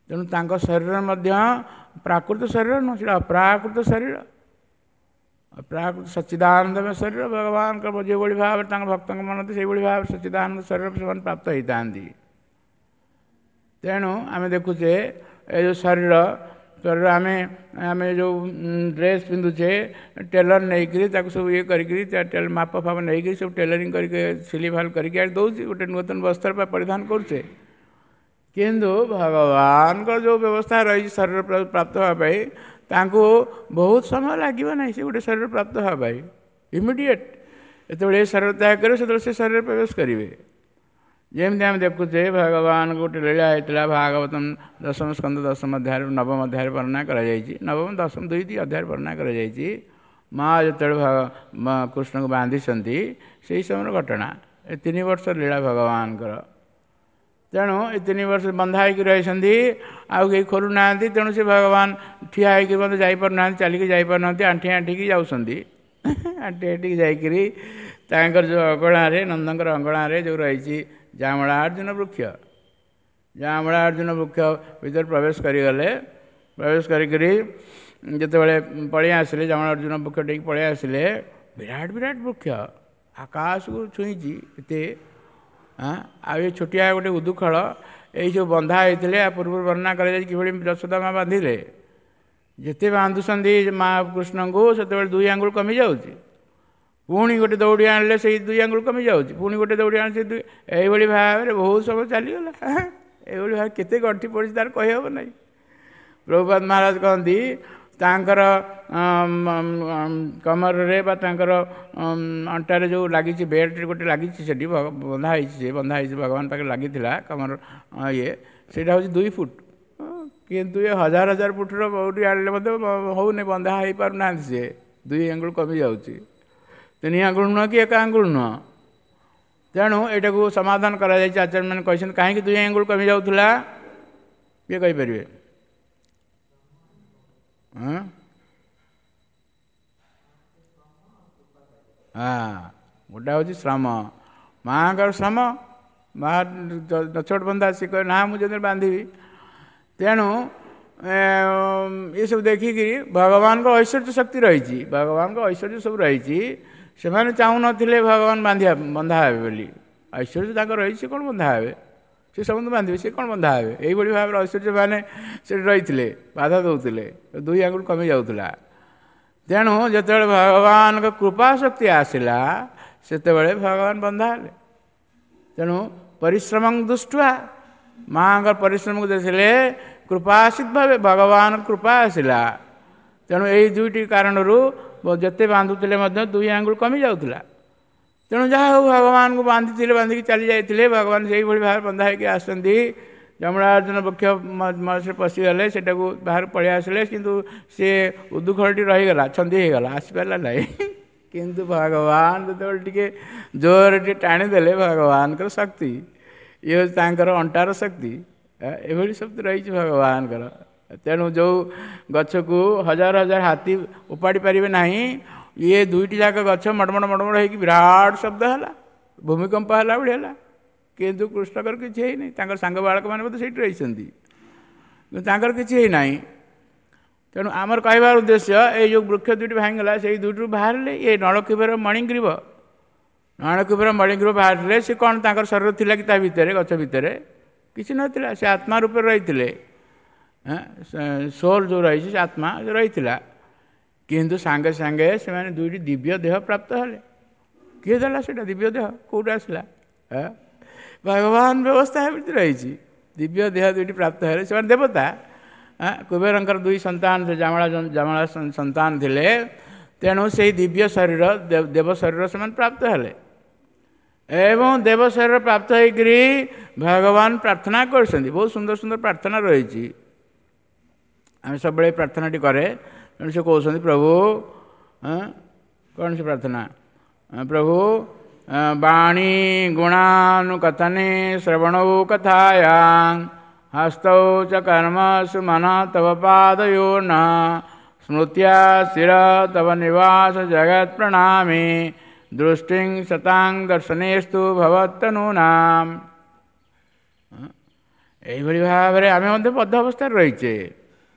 ତେଣୁ ତାଙ୍କ ଶରୀର ମଧ୍ୟ ପ୍ରାକୃତ ଶରୀର ନୁହଁ, ସେଇଟା ଅପ୍ରାକୃତ ଶରୀର, ଅପ୍ରାକୃତ ସଚ୍ଚିଦାନନ୍ଦମୟ ଶରୀର। ଭଗବାନଙ୍କ ଯେଉଁଭଳି ଭାବରେ ତାଙ୍କ ଭକ୍ତଙ୍କ ମନ ସେଇଭଳି ଭାବରେ ସଚ୍ଚିଦାନନ୍ଦ ଶରୀର ସେମାନେ ପ୍ରାପ୍ତ ହେଇଥାନ୍ତି। ତେଣୁ ଆମେ ଦେଖୁଛେ ଏ ଯେଉଁ ଶରୀର ଶରୀର ଆମେ ଆମେ ଯେଉଁ ଡ୍ରେସ୍ ପିନ୍ଧୁଛେ, ଟେଲର ନେଇକରି ତାକୁ ସବୁ ଇଏ କରିକିରି ମାପ ଫାପ ନେଇକରି ସବୁ ଟେଲରିଂ କରିକି ସିଲେଇ ଫାଲ କରିକି ଆଣି ଦେଉଛି, ଗୋଟେ ନୂତନ ବସ୍ତ୍ର ପରିଧାନ କରୁଛେ। କିନ୍ତୁ ଭଗବାନଙ୍କର ଯେଉଁ ବ୍ୟବସ୍ଥା ରହିଛି ଶରୀର ପ୍ରାପ୍ତ ହେବା ପାଇଁ, ତାଙ୍କୁ ବହୁତ ସମୟ ଲାଗିବ ନାହିଁ ସେ ଗୋଟେ ଶରୀର ପ୍ରାପ୍ତ ହେବା ପାଇଁ। ଇମିଡ଼ିଏଟ୍ ଯେତେବେଳେ ଏ ଶରୀର ତ୍ୟାଗ କରିବେ, ସେତେବେଳେ ସେ ଶରୀରରେ ପ୍ରବେଶ କରିବେ। ଯେମିତି ଆମେ ଦେଖୁଛେ ଭଗବାନଙ୍କ ଗୋଟେ ଲୀଳା ହେଇଥିଲା, ଭାଗବତ ଦଶମ ସ୍କନ୍ଦ ଦଶମ ଅଧ୍ୟାୟରେ ନବମ ଅଧ୍ୟାୟରେ ବର୍ଣ୍ଣନା କରାଯାଇଛି, ନବମ ଦଶମ ଦୁଇ ଦୁଇ ଅଧ୍ୟାୟରେ ବର୍ଣ୍ଣନା କରାଯାଇଛି। ମା ଯେତେବେଳେ କୃଷ୍ଣଙ୍କୁ ବାନ୍ଧିଛନ୍ତି ସେଇ ସମୟର ଘଟଣା, ଏ 3 ବର୍ଷ ଲୀଳା ଭଗବାନଙ୍କର। ତେଣୁ ଏ 3 ବର୍ଷ ବନ୍ଧା ହେଇକି ରହିଛନ୍ତି, ଆଉ କେହି ଖୋଲୁନାହାନ୍ତି। ତେଣୁ ସେ ଭଗବାନ ଠିଆ ହେଇକି ମଧ୍ୟ ଯାଇପାରୁନାହାନ୍ତି, ଚାଲିକି ଯାଇପାରୁନାହାନ୍ତି, ଆଣ୍ଠି ଆଣ୍ଠିକି ଯାଉଛନ୍ତି। ଆଣ୍ଠି ଆଣ୍ଠିକି ଯାଇକିରି ତାଙ୍କର ଯେଉଁ ଅଗଣାରେ, ନନ୍ଦଙ୍କର ଅଗଣାରେ ଯେଉଁ ରହିଛି ଜାମଳା ଅର୍ଜୁନ ବୃକ୍ଷ, ଜାମଳା ଅର୍ଜୁନ ବୃକ୍ଷ ଭିତରେ ପ୍ରବେଶ କରିଗଲେ। ପ୍ରବେଶ କରିକିରି ଯେତେବେଳେ ପଳେଇ ଆସିଲେ, ଜାମଳା ଅର୍ଜୁନ ବୃକ୍ଷ ଟିକି ପଳେଇ ଆସିଲେ, ବିରାଟ ବିରାଟ ବୃକ୍ଷ ଆକାଶକୁ ଛୁଇଁଛି ଏତେ। ଆଉ ଏ ଛୋଟିଆ ଗୋଟେ ଉଦୁଖଳ, ଏଇ ସବୁ ବନ୍ଧା ହେଇଥିଲେ। ଆ ପୂର୍ବରୁ ବର୍ଣ୍ଣନା କରାଯାଇଛି କିଭଳି ଯଶୋଦା ମା ବାନ୍ଧିଲେ। ଯେତେ ବାନ୍ଧୁଛନ୍ତି ମା କୃଷ୍ଣଙ୍କୁ, ସେତେବେଳେ 2 ଆଙ୍ଗୁଳ କମିଯାଉଛି। ପୁଣି ଗୋଟେ ଦଉଡ଼ି ଆଣିଲେ ସେଇ 2 ଆଙ୍ଗୁଳ କମିଯାଉଛି, ପୁଣି ଗୋଟେ ଦଉଡ଼ି ଆଣିଲେ ସେଇ 2, ଏଇଭଳି ଭାବରେ ବହୁତ ସମୟ ଚାଲିଗଲା। ଏଇଭଳି ଭାବରେ କେତେ ଗଣ୍ଠି ପଡ଼ିଛି ତାର କହିହେବ ନାହିଁ। ପ୍ରଭୁପାଦ ମହାରାଜ କହନ୍ତି ତାଙ୍କର କମରରେ ବା ତାଙ୍କର ଅଣ୍ଟାରେ ଯେଉଁ ଲାଗିଛି ବେଲ୍ଟ ଗୋଟେ ଲାଗିଛି, ସେଠି ବନ୍ଧା ହେଇଛି, ସେ ବନ୍ଧା ହେଇଛି ଭଗବାନ ପାଖରେ ଲାଗିଥିଲା କମର ଇଏ, ସେଇଟା ହେଉଛି 2 ଫୁଟ। କିନ୍ତୁ ଏ ହଜାର ହଜାର ଫୁଟର ଦଉଡ଼ି ଆଣିଲେ ମଧ୍ୟ ହେଉନି, ବନ୍ଧା ହେଇପାରୁନାହାନ୍ତି। ସିଏ 2 ଆଙ୍ଗୁଳ କମିଯାଉଛି, 3 ଆଙ୍ଗୁଳ ନୁହଁ କି 1 ଆଙ୍ଗୁଳ ନୁହଁ। ତେଣୁ ଏଇଟାକୁ ସମାଧାନ କରାଯାଇଛି। ଆଚାର୍ଯ୍ୟମାନେ କହିଛନ୍ତି କାହିଁକି 2 ଆଙ୍ଗୁଳ କମି ଯାଉଥିଲା, କିଏ କହିପାରିବେ? ହଁ, ଗୋଟେ ହେଉଛି ଶ୍ରମ, ମାଆଙ୍କର ଶ୍ରମ, ମା ନଛୋଟ ବନ୍ଧା, ସିଏ କହେ ନା ମୁଁ ଯେତେବେଳେ ବାନ୍ଧିବି। ତେଣୁ ଏସବୁ ଦେଖିକିରି ଭଗବାନଙ୍କ ଐଶ୍ୱର୍ଯ୍ୟ ଶକ୍ତି ରହିଛି, ଭଗବାନଙ୍କ ଐଶ୍ୱର୍ଯ୍ୟ ସବୁ ରହିଛି। ସେମାନେ ଚାହୁଁନଥିଲେ ଭଗବାନ ବାନ୍ଧିବା ବନ୍ଧା ହେବେ ବୋଲି। ଐଶ୍ୱର୍ଯ୍ୟ ତାଙ୍କର ରହିଛି, ସେ କ'ଣ ବନ୍ଧା ହେବେ? ସେ ସମସ୍ତଙ୍କୁ ବାନ୍ଧିବେ, ସେ କ'ଣ ବନ୍ଧା ହେବେ? ଏଇଭଳି ଭାବରେ ଐଶ୍ୱର୍ଯ୍ୟ ମାନେ ସେଠି ରହିଥିଲେ, ବାଧା ଦେଉଥିଲେ, 2 ଆଙ୍ଗୁଳ କମି ଯାଉଥିଲା। ତେଣୁ ଯେତେବେଳେ ଭଗବାନଙ୍କ କୃପା ଶକ୍ତି ଆସିଲା, ସେତେବେଳେ ଭଗବାନ ବନ୍ଧା ହେଲେ। ତେଣୁ ପରିଶ୍ରମ ଦୃଷ୍ଟିଆ ମାଆଙ୍କର ପରିଶ୍ରମକୁ ଦେଖିଲେ କୃପାସିତ ଭାବେ ଭଗବାନ କୃପା ଆସିଲା। ତେଣୁ ଏଇ 2ଟି କାରଣରୁ ଯେତେ ବାନ୍ଧୁଥିଲେ ମଧ୍ୟ 2 ଆଙ୍ଗୁଳ କମି ଯାଉଥିଲା। ତେଣୁ ଯାହା ହଉ ଭଗବାନଙ୍କୁ ବାନ୍ଧିଥିଲେ, ବାନ୍ଧିକି ଚାଲି ଯାଇଥିଲେ। ଭଗବାନ ସେଇଭଳି ଭାବରେ ବନ୍ଧା ହେଇକି ଆସନ୍ତି। ଯମଳାର୍ଜୁନ ବୃକ୍ଷ ମଝିରେ ପଶିଗଲେ, ସେଟାକୁ ବାହାରକୁ ପଳେଇ ଆସିଲେ, କିନ୍ତୁ ସେ ଉଦୁଖଳଟି ରହିଗଲା, ଛନ୍ଦି ହେଇଗଲା, ଆସିପାରିଲା ନାହିଁ। କିନ୍ତୁ ଭଗବାନ ଯେତେବେଳେ ଟିକେ ଜୋରରେ ଟିକେ ଟାଣିଦେଲେ, ଭଗବାନଙ୍କର ଶକ୍ତି, ଇଏ ହେଉଛି ତାଙ୍କର ଅଣ୍ଟାର ଶକ୍ତି, ଏଭଳି ଶକ୍ତି ରହିଛି ଭଗବାନଙ୍କର। ତେଣୁ ଯେଉଁ ଗଛକୁ ହଜାର ହଜାର ହାତୀ ଉପାଡ଼ି ପାରିବେ ନାହିଁ, ଇଏ ଦୁଇଟି ଯାକ ଗଛ ମଡ଼ମଡ଼ ମଡ଼ମଡ଼ ହେଇକି ବିରାଟ ଶବ୍ଦ ହେଲା, ଭୂମିକମ୍ପ ହେଲା ଭଳି ହେଲା। କିନ୍ତୁ କୃଷ୍ଣଙ୍କର କିଛି ହେଇନି। ତାଙ୍କର ସାଙ୍ଗ ବାଳକମାନେ ମଧ୍ୟ ସେଇଠି ରହିଛନ୍ତି, କିନ୍ତୁ ତାଙ୍କର କିଛି ହେଇନାହିଁ। ତେଣୁ ଆମର କହିବାର ଉଦ୍ଦେଶ୍ୟ, ଏଇ ଯେଉଁ ବୃକ୍ଷ ଦୁଇଟି ଭାଙ୍ଗିଗଲା, ସେଇ ଦୁଇଟିରୁ ବାହାରିଲେ ଏ ନଳକୁବେର ମଣିଗ୍ରୀବ। ନଳକୁବେର ମଣିଗ୍ରୀବ ବାହାରିଲେ। ସେ କ'ଣ ତାଙ୍କର ଶରୀର ଥିଲା କି ତା ଭିତରେ, ଗଛ ଭିତରେ? କିଛି ନଥିଲା। ସେ ଆତ୍ମା ରୂପରେ ରହିଥିଲେ। ସୋଲ୍ ଯେଉଁ ରହିଛି, ସେ ଆତ୍ମା ରହିଥିଲା। କିନ୍ତୁ ସାଙ୍ଗେ ସାଙ୍ଗେ ସେମାନେ ଦୁଇଟି ଦିବ୍ୟ ଦେହ ପ୍ରାପ୍ତ ହେଲେ। କିଏ ଦେଲା ସେଇଟା? ଦିବ୍ୟ ଦେହ କେଉଁଠୁ ଆସିଲା? ଭଗବାନ ବ୍ୟବସ୍ଥା ଏମିତି ରହିଛି। ଦିବ୍ୟ ଦେହ ଦୁଇଟି ପ୍ରାପ୍ତ ହେଲେ, ସେମାନେ ଦେବତା। କୁବେରଙ୍କର ଦୁଇ ସନ୍ତାନ, ଜାମଳା ଜାମଳା ସନ୍ତାନ ଥିଲେ। ତେଣୁ ସେଇ ଦିବ୍ୟ ଶରୀର, ଦେବ ଶରୀର ସେମାନେ ପ୍ରାପ୍ତ ହେଲେ। ଏବଂ ଦେବ ଶରୀର ପ୍ରାପ୍ତ ହେଇକରି ଭଗବାନ ପ୍ରାର୍ଥନା କରିଛନ୍ତି। ବହୁତ ସୁନ୍ଦର ସୁନ୍ଦର ପ୍ରାର୍ଥନା ରହିଛି। ଆମେ ସବୁବେଳେ ପ୍ରାର୍ଥନାଟି କରେ। ତେଣୁ ସେ କହୁଛନ୍ତି, ପ୍ରଭୁ, କ'ଣ ସେ ପ୍ରାର୍ଥନା? ପ୍ରଭୁ, ବାଣୀ ଗୁଣାନୁକଥନେ ଶ୍ରବଣୌ କଥାୟାଂ ହସ୍ତୌ ଚ କର୍ମସୁ ମନ ତବ ପାଦୟୋର୍ନ ସ୍ମୃତ୍ୟା ଶିର ତବ ନିବାସ ଜଗତ ପ୍ରଣାମି ଦୃଷ୍ଟିଂ ସତାଂ ଦର୍ଶନେସ୍ତୁ ଭବତ୍ତନୂନାମ। ଏଇଭଳି ଭାବରେ ଆମେ ମଧ୍ୟ ବଦ୍ଧ ଅବସ୍ଥାରେ ରହିଛେ।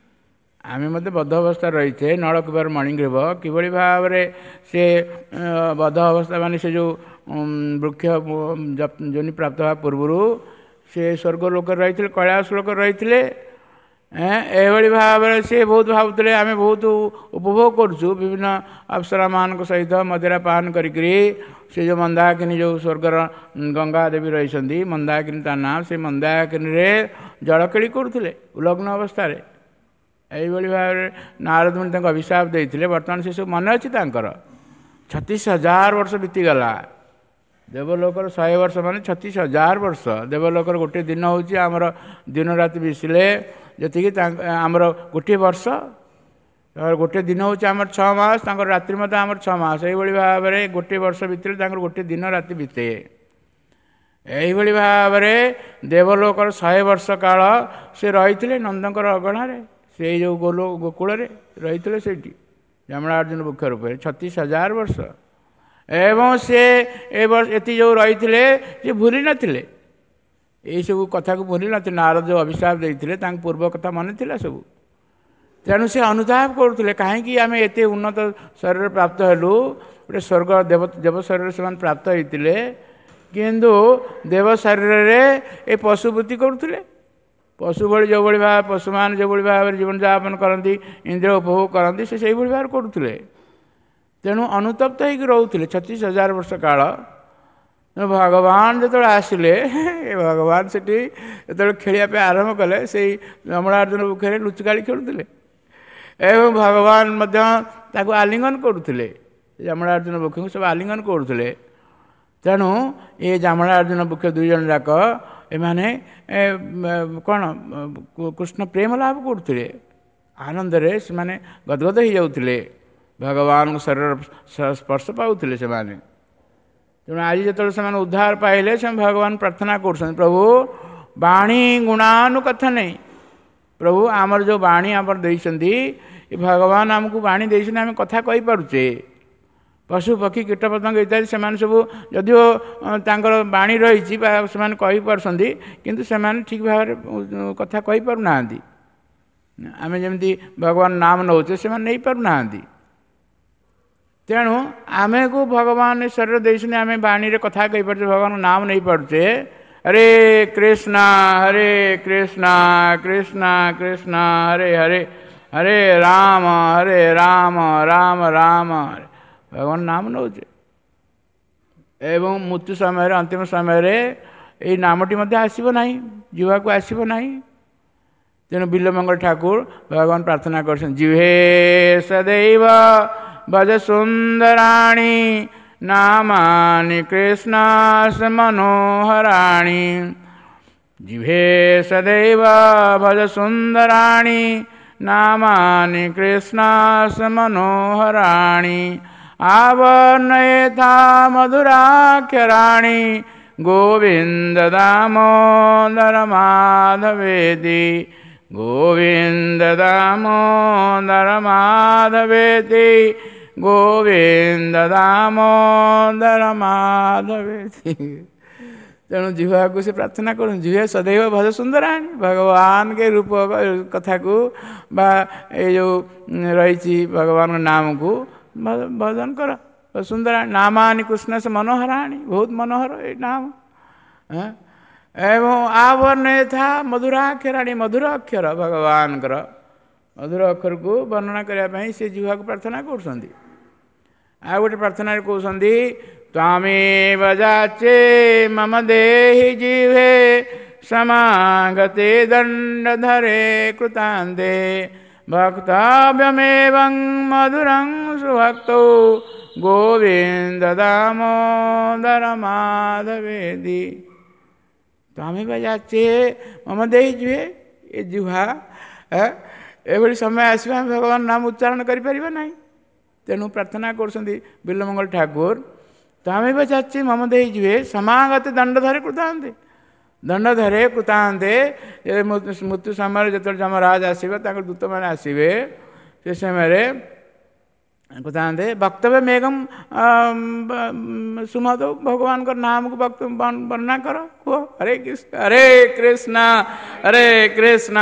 ଆମେ ମଧ୍ୟ ବଦ୍ଧ ଅବସ୍ଥାରେ ରହିଛେ। ନଳକୁବେର ମଣିଗ୍ରୀବ କିଭଳି ଭାବରେ ସେ ବଦ୍ଧ ଅବସ୍ଥା, ମାନେ ସେ ଯେଉଁ ବୃକ୍ଷ ଯୋନି ପ୍ରାପ୍ତ ହେବା ପୂର୍ବରୁ ସେ ସ୍ୱର୍ଗ ଲୋକରେ ରହିଥିଲେ, କୈଳାସ ଲୋକରେ ରହିଥିଲେ। ଏଭଳି ଭାବରେ ସେ ବହୁତ ଭାବୁଥିଲେ, ଆମେ ବହୁତ ଉପଭୋଗ କରୁଛୁ ବିଭିନ୍ନ ଅପ୍ସରାମାନଙ୍କ ସହିତ ମଦିରା ପାନ କରିକିରି। ସେ ଯେଉଁ ମନ୍ଦାକିନୀ, ଯେଉଁ ସ୍ୱର୍ଗର ଗଙ୍ଗା ଦେବୀ ରହିଛନ୍ତି, ମନ୍ଦାକିନୀ ତା ନାଁ, ସେ ମନ୍ଦାକିନୀରେ ଜଳକେଳି କରୁଥିଲେ ଉଲଗ୍ନ ଅବସ୍ଥାରେ। ଏଇଭଳି ଭାବରେ ନାରଦ ମୁନି ତାଙ୍କୁ ଅଭିଶାପ ଦେଇଥିଲେ। ବର୍ତ୍ତମାନ ସେସବୁ ମନେ ଅଛି ତାଙ୍କର। 36,000 ବର୍ଷ ବିତିଗଲା। ଦେବଲୋକର 100 ବର୍ଷ ମାନେ 36,000 ବର୍ଷ। ଦେବଲୋକର ଗୋଟିଏ ଦିନ ହେଉଛି ଆମର ଦିନ ରାତି ମିଶିଲେ ଯେତିକି, ଆମର ଗୋଟିଏ ବର୍ଷ। ଗୋଟିଏ ଦିନ ହେଉଛି ଆମର 6 ମାସ, ତାଙ୍କର ରାତ୍ରି ମଧ୍ୟ ଆମର 6 ମାସ। ଏଇଭଳି ଭାବରେ ଗୋଟିଏ ବର୍ଷ ଭିତରେ ତାଙ୍କର ଗୋଟିଏ ଦିନ ରାତି ବିତେ। ଏଇଭଳି ଭାବରେ ଦେବଲୋକର 100 ବର୍ଷ କାଳ ସେ ରହିଥିଲେ ନନ୍ଦଙ୍କର ଅଗଣାରେ, ସେଇ ଯେଉଁ ଗୋଲ ଗୋକୁଳରେ ରହିଥିଲେ ସେଇଠି ଯମଳାର୍ଜୁନ ବୃକ୍ଷ ରୂପରେ 36,000 ବର୍ଷ। ଏବଂ ସେ ଏ ବର୍ଷ ଏତି ଯେଉଁ ରହିଥିଲେ, ସେ ଭୁଲି ନଥିଲେ ଏଇସବୁ କଥାକୁ, ଭୁଲି ନଥିଲେ। ନାରଦ ଯେଉଁ ଅଭିଶାପ ଦେଇଥିଲେ, ତାଙ୍କ ପୂର୍ବ କଥା ମନେ ଥିଲା ସବୁ। ତେଣୁ ସେ ଅନୁତାପ କରୁଥିଲେ, କାହିଁକି ଆମେ ଏତେ ଉନ୍ନତ ଶରୀର ପ୍ରାପ୍ତ ହେଲୁ। ଗୋଟେ ସ୍ୱର୍ଗ ଦେବ ଶରୀର ସେମାନେ ପ୍ରାପ୍ତ ହେଇଥିଲେ, କିନ୍ତୁ ଦେବ ଶରୀରରେ ଏ ପଶୁବୃତ୍ତି କରୁଥିଲେ। ପଶୁ ଭଳି, ଯେଉଁଭଳି ଭାବେ ପଶୁମାନେ ଯେଉଁଭଳି ଭାବରେ ଜୀବନଯାପନ କରନ୍ତି, ଇନ୍ଦ୍ରିୟ ଉପଭୋଗ କରନ୍ତି, ସେ ସେଇଭଳି ଭାବରେ କରୁଥିଲେ। ତେଣୁ ଅନୁତପ୍ତ ହେଇକି ରହୁଥିଲେ 36,000 ବର୍ଷ କାଳ। ତେଣୁ ଭଗବାନ ଯେତେବେଳେ ଆସିଲେ, ଏ ଭଗବାନ ସେଠି ଯେତେବେଳେ ଖେଳିବା ପାଇଁ ଆରମ୍ଭ କଲେ, ସେଇ ଯମଳାର୍ଜୁନ ବୃକ୍ଷରେ ଲୁଚକାଳି ଖେଳୁଥିଲେ ଏବଂ ଭଗବାନ ମଧ୍ୟ ତାକୁ ଆଲିଙ୍ଗନ କରୁଥିଲେ। ଯମଳାର୍ଜୁନ ବୃକ୍ଷଙ୍କୁ ସବୁ ଆଲିଙ୍ଗନ କରୁଥିଲେ। ତେଣୁ ଏ ଯମଳାର୍ଜୁନ ବୃକ୍ଷ ଦୁଇ ଜଣ ଯାକ ଏମାନେ କ'ଣ କୃଷ୍ଣ ପ୍ରେମ ଲାଭ କରୁଥିଲେ। ଆନନ୍ଦରେ ସେମାନେ ଗଦଗଦ ହେଇଯାଉଥିଲେ, ଭଗବାନଙ୍କ ଶରୀର ସ୍ପର୍ଶ ପାଉଥିଲେ ସେମାନେ। ତେଣୁ ଆଜି ଯେତେବେଳେ ସେମାନେ ଉଦ୍ଧାର ପାଇଲେ, ସେମାନେ ଭଗବାନ ପ୍ରାର୍ଥନା କରୁଛନ୍ତି, ପ୍ରଭୁ, ବାଣୀ ଗୁଣାନୁକଥନେ, ପ୍ରଭୁ ଆମର ଯେଉଁ ବାଣୀ ଆମର ଦେଇଛନ୍ତି, ଏ ଭଗବାନ ଆମକୁ ବାଣୀ ଦେଇଛନ୍ତି, ଆମେ କଥା କହିପାରୁଛେ। ପଶୁ ପକ୍ଷୀ କୀଟପତଙ୍ଗ ଇତ୍ୟାଦି ସେମାନେ ସବୁ ଯଦିଓ ତାଙ୍କର ବାଣୀ ରହିଛି ବା ସେମାନେ କହିପାରୁଛନ୍ତି, କିନ୍ତୁ ସେମାନେ ଠିକ୍ ଭାବରେ କଥା କହିପାରୁନାହାନ୍ତି। ଆମେ ଯେମିତି ଭଗବାନ ନାମ ନେଉଛେ, ସେମାନେ ନେଇପାରୁନାହାନ୍ତି। ତେଣୁ ଆମକୁ ଭଗବାନ ଶରୀର ଦେଇଛନ୍ତି, ଆମେ ବାଣୀରେ କଥା କହିପାରୁଛେ, ଭଗବାନଙ୍କ ନାମ ନେଇପାରୁଛେ। ହରେ କୃଷ୍ଣ ହରେ କୃଷ୍ଣ କୃଷ୍ଣ କୃଷ୍ଣ ହରେ ହରେ, ହରେ ରାମ ହରେ ରାମ ରାମ ରାମ, ଭଗବାନ ନାମ ନେଉଛେ। ଏବଂ ମୃତ୍ୟୁ ସମୟରେ, ଅନ୍ତିମ ସମୟରେ ଏଇ ନାମଟି ମଧ୍ୟ ଆସିବ ନାହିଁ, ଜିହ୍ବାକୁ ଆସିବ ନାହିଁ। ତେଣୁ ବିଲ୍ୱମଙ୍ଗଳ ଠାକୁର ଭଗବାନ ପ୍ରାର୍ଥନା କରୁଛନ୍ତି, ଜିହ୍ବେ ସଦୈବ ଭଜ ସୁନ୍ଦରାଣୀ ନାମାନି କୃଷ୍ଣସ୍ୟ ମନୋହରାଣୀ। ଜିଭେ ସଦୈବ ଭଜ ସୁନ୍ଦରାଣୀ ନାମାନି କୃଷ୍ଣସ୍ୟ ମନୋହରାଣୀ। ଆବର୍ଣ୍ଣୟେଥା ମଧୁରାକ୍ଷରାଣୀ ଗୋବିନ୍ଦ ଦାମୋଦର ମାଧବେତି, ଗୋବିନ୍ଦ ଦାମୋଦର ମାଧବେତି, ଗୋବିନ୍ଦ ଦାମୋଦର ମାଧବେତି। ତେଣୁ ଜିହ୍ବାକୁ ସେ ପ୍ରାର୍ଥନା କରୁଛନ୍ତି, ଜିହ୍ବା ସଦୈବ ଭଜ ସୁନ୍ଦରାଣୀ, ଭଗବାନଙ୍କ ରୂପ କଥାକୁ ବା ଏଇ ଯେଉଁ ରହିଛି ଭଗବାନଙ୍କ ନାମକୁ ଭଜନ କର। ସୁନ୍ଦରାଣୀ ନାମାନି କୃଷ୍ଣ ସେ ମନୋହରାଣୀ, ବହୁତ ମନୋହର ଏଇ ନାମ। ଏବଂ ଆବର୍ଣ୍ଣୟଥା ମଧୁରାକ୍ଷରାଣୀ, ମଧୁର ଅକ୍ଷର ଭଗବାନଙ୍କର ମଧୁର ଅକ୍ଷରକୁ ବର୍ଣ୍ଣନା କରିବା ପାଇଁ ସେ ଜିହ୍ବାକୁ ପ୍ରାର୍ଥନା କରୁଛନ୍ତି। ଆଉ ଗୋଟେ ପ୍ରାର୍ଥନାରେ କହୁଛନ୍ତି, ତ୍ୱାମେବ ଯାଚେ ମମ ଦେହି ଜିହ୍ବେ ସମାଗତେ ଦଣ୍ଡଧରେ କୃତାନ୍ତେ ଭକ୍ତବ୍ୟମେବଂ ମଧୁରଂ ସୁଭକ୍ତୌ ଗୋବିନ୍ଦ ଦାମୋଦର ମାଧବେଦି। ତ୍ୱାମେବ ଯାଚେ ମମ ଦେହି ଜିହ୍ବେ, ଏ ଜିହ୍ବା ଏଭଳି ସମୟ ଆସିବ ଆମେ ଭଗବାନ ନାମ ଉଚ୍ଚାରଣ କରିପାରିବା ନାହିଁ। ତେଣୁ ପ୍ରାର୍ଥନା କରୁଛନ୍ତି ବିଲ୍ୱମଙ୍ଗଳ ଠାକୁର, ତ୍ୱାମେବ ଯାଚେ ମମ ଦେହି ଜିହ୍ବେ ସମାଗତେ ଦଣ୍ଡଧରେ କୃତାନ୍ତେ, ଦଣ୍ଡଧରେ କୃତାନ୍ତେ। ମୃତ୍ୟୁ ସମୟରେ ଯେତେବେଳେ ଯମରାଜ ଆସିବେ, ତାଙ୍କର ଦୂତମାନେ ଆସିବେ, ସେ ସମୟରେ କୃତାନ୍ତେ ବକ୍ତବ୍ୟ ମେଘମ ସୁମଦ, ଭଗବାନଙ୍କର ନାମକୁ ବର୍ଣ୍ଣନା କର, କୁହ ହରେ କୃଷ୍ଣ ହରେ କୃଷ୍ଣ ହରେ କୃଷ୍ଣ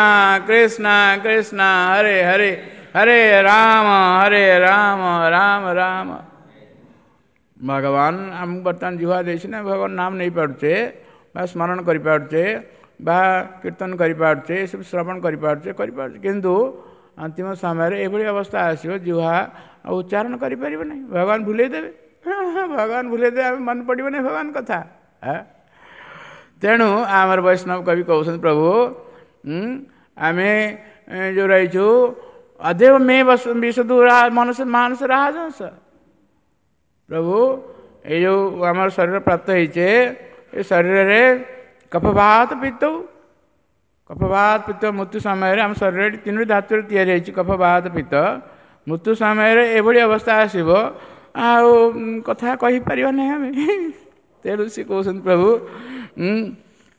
କୃଷ୍ଣ କୃଷ୍ଣ ହରେ ହରେ ହରେ ରାମ ହରେ ରାମ ରାମ ରାମ। ଭଗବାନ ଆମକୁ ବର୍ତ୍ତମାନ ଜିହ୍ବା ଦେଇଛି ନା, ଭଗବାନ ନାମ ନେଇପାରୁଛେ ବା ସ୍ମରଣ କରିପାରୁଛେ ବା କୀର୍ତ୍ତନ କରିପାରୁଛେ, ଏସବୁ ଶ୍ରବଣ କରିପାରୁଛେ କରିପାରୁଛେ, କିନ୍ତୁ ଅନ୍ତିମ ସମୟରେ ଏଭଳି ଅବସ୍ଥା ଆସିବ ଜିହ୍ବା ଆଉ ଉଚ୍ଚାରଣ କରିପାରିବ ନାହିଁ, ଭଗବାନ ଭୁଲେଇ ଦେବେ। ଭଗବାନ ଭୁଲେଇ ଦେବେ, ଆମେ ମନେ ପଡ଼ିବ ନାହିଁ ଭଗବାନ କଥା। ତେଣୁ ଆମର ବୈଷ୍ଣବ କବି କହୁଛନ୍ତି, ପ୍ରଭୁ ଆମେ ଯେଉଁ ରହିଛୁ ଅଦେବ ମେ ବିଶଦୁ ମନସ ମାନସ ରାଜହଂସ। ପ୍ରଭୁ ଏଇ ଯେଉଁ ଆମର ଶରୀର ପ୍ରାପ୍ତ ହେଇଛେ, ଏ ଶରୀରରେ କଫବାତ ପିତ୍ତ, କଫବାତ ପିତ୍ତ ମୃତ୍ୟୁ ସମୟରେ ଆମ ଶରୀରରେ ତିନୋଟି ଧାତୁରେ ତିଆରି ହେଇଛି କଫବାତ ପିତ୍ତ। ମୃତ୍ୟୁ ସମୟରେ ଏଭଳି ଅବସ୍ଥା ଆସିବ ଆଉ କଥା କହିପାରିବା ନାହିଁ ଆମେ। ତେଣୁ ସେ କହୁଛନ୍ତି, ପ୍ରଭୁ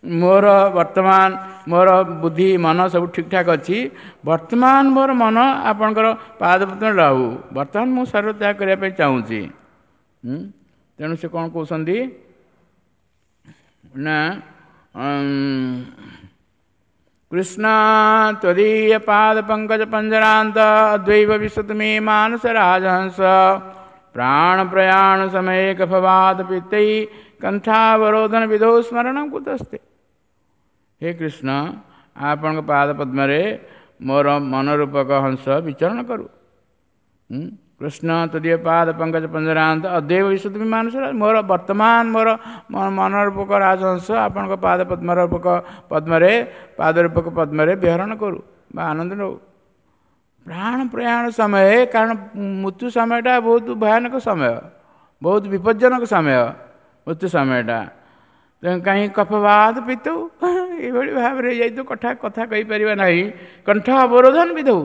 ମୋର ବର୍ତ୍ତମାନ ମୋର ବୁଦ୍ଧି ମନ ସବୁ ଠିକ୍ଠାକ୍ ଅଛି, ବର୍ତ୍ତମାନ ମୋର ମନ ଆପଣଙ୍କର ପାଦପଦ୍ମ ରହୁ, ବର୍ତ୍ତମାନ ମୁଁ ଶରୀର ତ୍ୟାଗ କରିବା ପାଇଁ ଚାହୁଁଛି। ତେଣୁ ସେ କ'ଣ କହୁଛନ୍ତି ନା, କୃଷ୍ଣ ତ୍ୱଦୀୟ ପାଦ ପଙ୍କଜ ପଞ୍ଜରାନ୍ତ ଅଦ୍ୱୈବ ବିଶ୍ୱତମେ ମାନସ ରାଜହଂସ ପ୍ରାଣ ପ୍ରୟାଣ ସମୟେ କଫବାତ ପିତ୍ତೈ କଣ୍ଠାବରୋଧନ ବିଧৌ ସ୍ମରଣ କୁତସ୍ତେ। ହେ କୃଷ୍ଣ, ଆପଣଙ୍କ ପାଦ ପଦ୍ମରେ ମୋର ମନରୂପକ ହଂସ ବିଚରଣ କରୁ। କୃଷ୍ଣ ତଦୀୟ ପାଦ ପଙ୍କଜ ପଞ୍ଜରାନ୍ତ ଅଦ୍ୱୈବ ବିଶ୍ୱତମେ ମାନସ, ମୋର ବର୍ତ୍ତମାନ ମୋର ମନରୂପକ ରାଜହଂସ ଆପଣଙ୍କ ପାଦ ପଦ୍ମରୂପକ ପଦ୍ମରେ ପାଦରୂପକ ପଦ୍ମରେ ବିହରଣ କରୁ ବା ଆନନ୍ଦ ନେଉ। ପ୍ରାଣ ପ୍ରୟାଣ ସମୟ, କାରଣ ମୃତ୍ୟୁ ସମୟଟା ବହୁତ ଭୟାନକ ସମୟ, ବହୁତ ବିପଜ୍ଜନକ ସମୟ ମୃତ୍ୟୁ ସମୟଟା। ତେଣୁ କାହିଁ କଫବାଦ ପିତଉ ଏଇଭଳି ଭାବରେ ହେଇଯାଇଥିବ, କଥା କହିପାରିବା ନାହିଁ, କଣ୍ଠ ଅବରୋଧନ ବିଧଉ,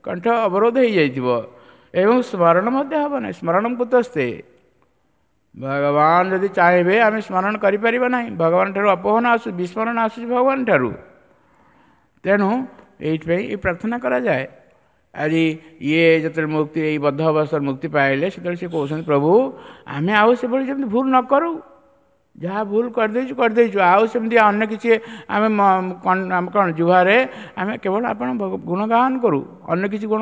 କଣ୍ଠ ଅବରୋଧ ହେଇଯାଇଥିବ ଏବଂ ସ୍ମରଣ ମଧ୍ୟ ହେବ ନାହିଁ। ସ୍ମରଣ କୁତସ୍ତେ, ଭଗବାନ ଯଦି ଚାହିଁବେ ଆମେ ସ୍ମରଣ କରିପାରିବା ନାହିଁ, ଭଗବାନ ଠାରୁ ଅପୋହନ ଆସୁଛି, ବିସ୍ମରଣ ଆସୁଛି ଭଗବାନ ଠାରୁ। ତେଣୁ ଏଇଥିପାଇଁ ଏ ପ୍ରାର୍ଥନା କରାଯାଏ। ଆଜି ଇଏ ଯେତେବେଳେ ମୁକ୍ତି, ଏଇ ବଦ୍ଧ ଅବସ୍ଥାରୁ ମୁକ୍ତି ପାଇଲେ, ସେତେବେଳେ ସେ କହୁଛନ୍ତି, ପ୍ରଭୁ ଆମେ ଆଉ ସେଭଳି ଯେମିତି ଭୁଲ ନ କରୁ, ଯାହା ଭୁଲ କରିଦେଇଛୁ କରିଦେଇଛୁ, ଆଉ ସେମିତି ଅନ୍ୟ କିଛି ଆମେ କ'ଣ ଜିହ୍ବାରେ ଆମେ କେବଳ ଆପଣ ଗୁଣଗାନ କରୁ, ଅନ୍ୟ କିଛି ଗୁଣ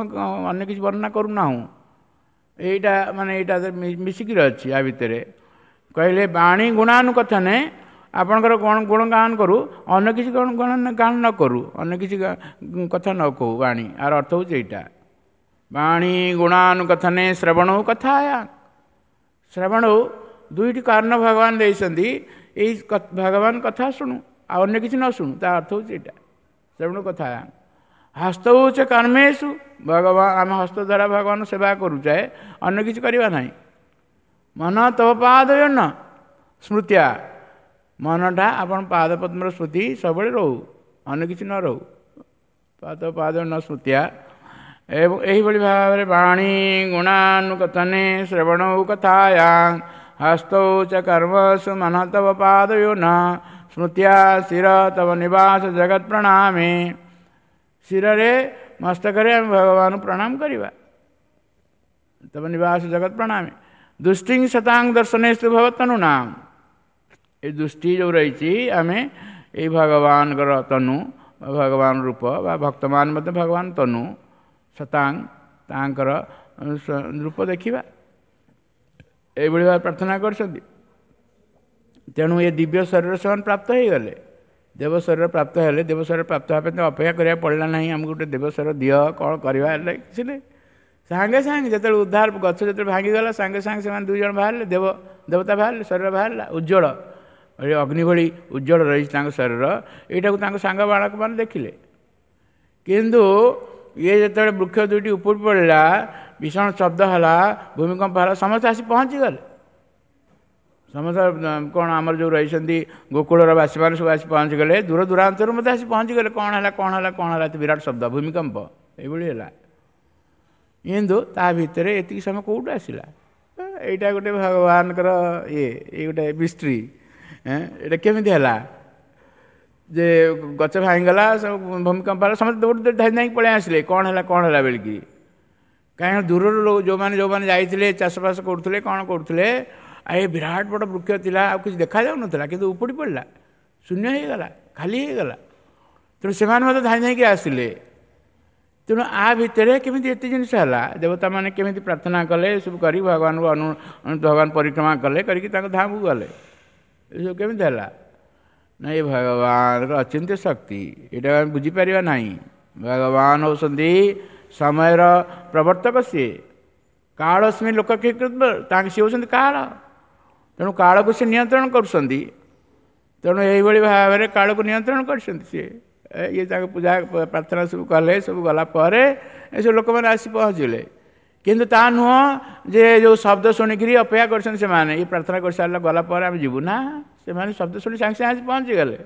ଅନ୍ୟ କିଛି ବର୍ଣ୍ଣନା କରୁନାହୁଁ। ଏଇଟା ମାନେ ଏଇଟା ମିଶିକିରି ଅଛି ୟା ଭିତରେ। କହିଲେ ବାଣୀ ଗୁଣାନୁକଥନେ, ଆପଣଙ୍କର ଗୁଣଗାନ କରୁ, ଅନ୍ୟ କିଛି ଗାନ ନ କରୁ, ଅନ୍ୟ କିଛି କଥା ନ କହୁ। ବାଣୀ ଆର ଅର୍ଥ ହେଉଛି ଏଇଟା, ବାଣୀ ଗୁଣାନୁକଥନେ ଶ୍ରବଣ କଥା। ଶ୍ରବଣ ଦୁଇଟି କାରଣ ଭଗବାନ ଦେଇଛନ୍ତି, ଏଇ ଭଗବାନ କଥା ଶୁଣୁ ଆଉ ଅନ୍ୟ କିଛି ନ ଶୁଣୁ, ତା ଅର୍ଥ ହେଉଛି ଏଇଟା ଶ୍ରବଣ କଥା। ହସ୍ତଉଚ କର୍ମେଷୁ, ଭଗବାନ ଆମେ ହସ୍ତ ଦ୍ୱାରା ଭଗବାନ ସେବା କରୁଛେ, ଅନ୍ୟ କିଛି କରିବା ନାହିଁ। ମନ ତବ ପାଦ ନ ସ୍ମୃତିଆ, ମନଟା ଆପଣ ପାଦ ପଦ୍ମର ସ୍ମୃତି ସବୁବେଳେ ରହୁ, ଅନ୍ୟ କିଛି ନ ରହୁ। ପାଦ ପାଦ ନ ସ୍ମୃତିଆ। ଏବଂ ଏହିଭଳି ଭାବରେ ବାଣୀ ଗୁଣାନୁକଥନେ ଶ୍ରବଣ କଥାୟା ହସ୍ତୌ ଚ କର୍ମସୁ ମନ ତବ ପାଦୟୋ ନ ସ୍ମୃତ୍ୟା ଶିର ତବ ନିବାସ ଜଗତ ପ୍ରଣାମେ। ଶିରରେ ମସ୍ତକରେ ଆମେ ଭଗବାନଙ୍କୁ ପ୍ରଣାମ କରିବା। ତବ ନିବାସ ଜଗତ ପ୍ରଣାମେ। ଦୃଷ୍ଟି ଶତାଙ୍ଗ ଦର୍ଶନେସ୍ତୁ ଭବତନୁ ନାମ। ଏ ଦୃଷ୍ଟି ଯେଉଁ ରହିଛି, ଆମେ ଏଇ ଭଗବାନଙ୍କର ତନୁ, ଭଗବାନ ରୂପ ବା ଭକ୍ତମାନ ମଧ୍ୟ ଭଗବାନ ତନୁ ଶତାଙ୍ଗ, ତାଙ୍କର ରୂପ ଦେଖିବା, ଏଇଭଳି ଭାବେ ପ୍ରାର୍ଥନା କରିଛନ୍ତି। ତେଣୁ ଏ ଦିବ୍ୟ ଶରୀର ସେମାନେ ପ୍ରାପ୍ତ ହେଇଗଲେ, ଦେବ ଶରୀର ପ୍ରାପ୍ତ ହେଲେ। ଦେବ ଶରୀର ପ୍ରାପ୍ତ ହେବା ପାଇଁ ଅପେକ୍ଷା କରିବାକୁ ପଡ଼ିଲା ନାହିଁ, ଆମକୁ ଗୋଟେ ଦେବ ଶରୀର ଦିଅ, କ'ଣ କରିବା ହେଲେ କିଛି ନାହିଁ। ସାଙ୍ଗେ ସାଙ୍ଗେ ଯେତେବେଳେ ଉଦ୍ଧାର ଗଛ ଯେତେବେଳେ ଭାଙ୍ଗିଗଲା, ସାଙ୍ଗେ ସାଙ୍ଗେ ସେମାନେ ଦୁଇ ଜଣ ବାହାରିଲେ, ଦେବ ଦେବତା ବାହାରିଲେ, ଶରୀର ବାହାରିଲା ଉଜ୍ଜଳ, ଅଗ୍ନି ଭଳି ଉଜ୍ଜଳ ରହିଛି ତାଙ୍କ ଶରୀର। ଏଇଟାକୁ ତାଙ୍କ ସାଙ୍ଗ ବାଳକମାନେ ଦେଖିଲେ। କିନ୍ତୁ ଇଏ ଯେତେବେଳେ ବୃକ୍ଷ ଦୁଇଟି ଉପୁଡ଼ି ପଡ଼ିଲା, ଭୀଷଣ ଶବ୍ଦ ହେଲା, ଭୂମିକମ୍ପ ହେଲା, ସମସ୍ତେ ଆସି ପହଞ୍ଚିଗଲେ। ସମସ୍ତେ କ'ଣ ଆମର ଯେଉଁ ରହିଛନ୍ତି ଗୋକୁଳର ବାସୀମାନେ ସବୁ ଆସି ପହଞ୍ଚିଗଲେ, ଦୂର ଦୂରାନ୍ତରୁ ମଧ୍ୟ ଆସି ପହଞ୍ଚିଗଲେ। କ'ଣ ହେଲା, କ'ଣ ହେଲା, କ'ଣ ହେଲା, ଏତେ ବିରାଟ ଶବ୍ଦ, ଭୂମିକମ୍ପ ଏଇଭଳି ହେଲା। କିନ୍ତୁ ତା ଭିତରେ ଏତିକି ସମୟ କେଉଁଠୁ ଆସିଲା? ଏଇଟା ଗୋଟେ ଭଗବାନଙ୍କର ଇଏ, ଏଇ ଗୋଟେ ମିଷ୍ଟ୍ରି। ଏଇଟା କେମିତି ହେଲା ଯେ ଗଛ ଭାଙ୍ଗିଗଲା, ସବୁ ଭୂମିକମ୍ପ ହେଲା, ସମସ୍ତେ ଦୌଡ଼ି ଦୌଡ଼ି ଧାଇଁ ଧାଇଁକି ପଳେଇ ଆସିଲେ, କ'ଣ ହେଲା, କ'ଣ ହେଲା ବୋଲିକି। କାହିଁକିନା ଦୂରରୁ ଯେଉଁମାନେ ଯେଉଁମାନେ ଯାଇଥିଲେ, ଚାଷବାସ କରୁଥିଲେ, କ'ଣ କରୁଥିଲେ, ଆଉ ଏ ବିରାଟ ବଡ଼ ବୃକ୍ଷ ଥିଲା, ଆଉ କିଛି ଦେଖାଯାଉନଥିଲା, କିନ୍ତୁ ଉପୁଡ଼ି ପଡ଼ିଲା, ଶୂନ୍ୟ ହେଇଗଲା, ଖାଲି ହେଇଗଲା। ତେଣୁ ସେମାନେ ମଧ୍ୟ ଧାଇଁ ଧାଇଁକି ଆସିଲେ। ତେଣୁ ଆ ଭିତରେ କେମିତି ଏତେ ଜିନିଷ ହେଲା? ଦେବତାମାନେ କେମିତି ପ୍ରାର୍ଥନା କଲେ, ଏସବୁ କରି ଭଗବାନଙ୍କୁ ଅନୁ ଭଗବାନ ପରିକ୍ରମା କଲେ, କରିକି ତାଙ୍କ ଧାମକୁ ଗଲେ, ଏସବୁ କେମିତି ହେଲା? ନା, ଏ ଭଗବାନଙ୍କର ଅଚିନ୍ତ୍ୟ ଶକ୍ତି, ଏଇଟା ଆମେ ବୁଝିପାରିବା ନାହିଁ। ଭଗବାନ ହେଉଛନ୍ତି ସମୟର ପ୍ରବର୍ତ୍ତକ, ସିଏ କାଳସ୍ମୀ ଲୋକ, ତାଙ୍କ ସିଏ ହେଉଛନ୍ତି କାଳ। ତେଣୁ କାଳକୁ ସେ ନିୟନ୍ତ୍ରଣ କରୁଛନ୍ତି। ତେଣୁ ଏଇଭଳି ଭାବରେ କାଳକୁ ନିୟନ୍ତ୍ରଣ କରିଛନ୍ତି ସିଏ। ଇଏ ତାଙ୍କ ପୂଜା ପ୍ରାର୍ଥନା ସବୁ କଲେ, ସବୁ ଗଲା ପରେ ଏସବୁ ଲୋକମାନେ ଆସି ପହଞ୍ଚିଲେ। କିନ୍ତୁ ତା ନୁହଁ ଯେ ଯେଉଁ ଶବ୍ଦ ଶୁଣିକିରି ଅପେକ୍ଷା କରିଛନ୍ତି ସେମାନେ, ଇଏ ପ୍ରାର୍ଥନା କରିସାରିଲା ଗଲା ପରେ ଆମେ ଯିବୁ ନା, ସେମାନେ ଶବ୍ଦ ଶୁଣି ସାଙ୍ଗେ ସାଙ୍ଗେ ଆସି ପହଞ୍ଚିଗଲେ।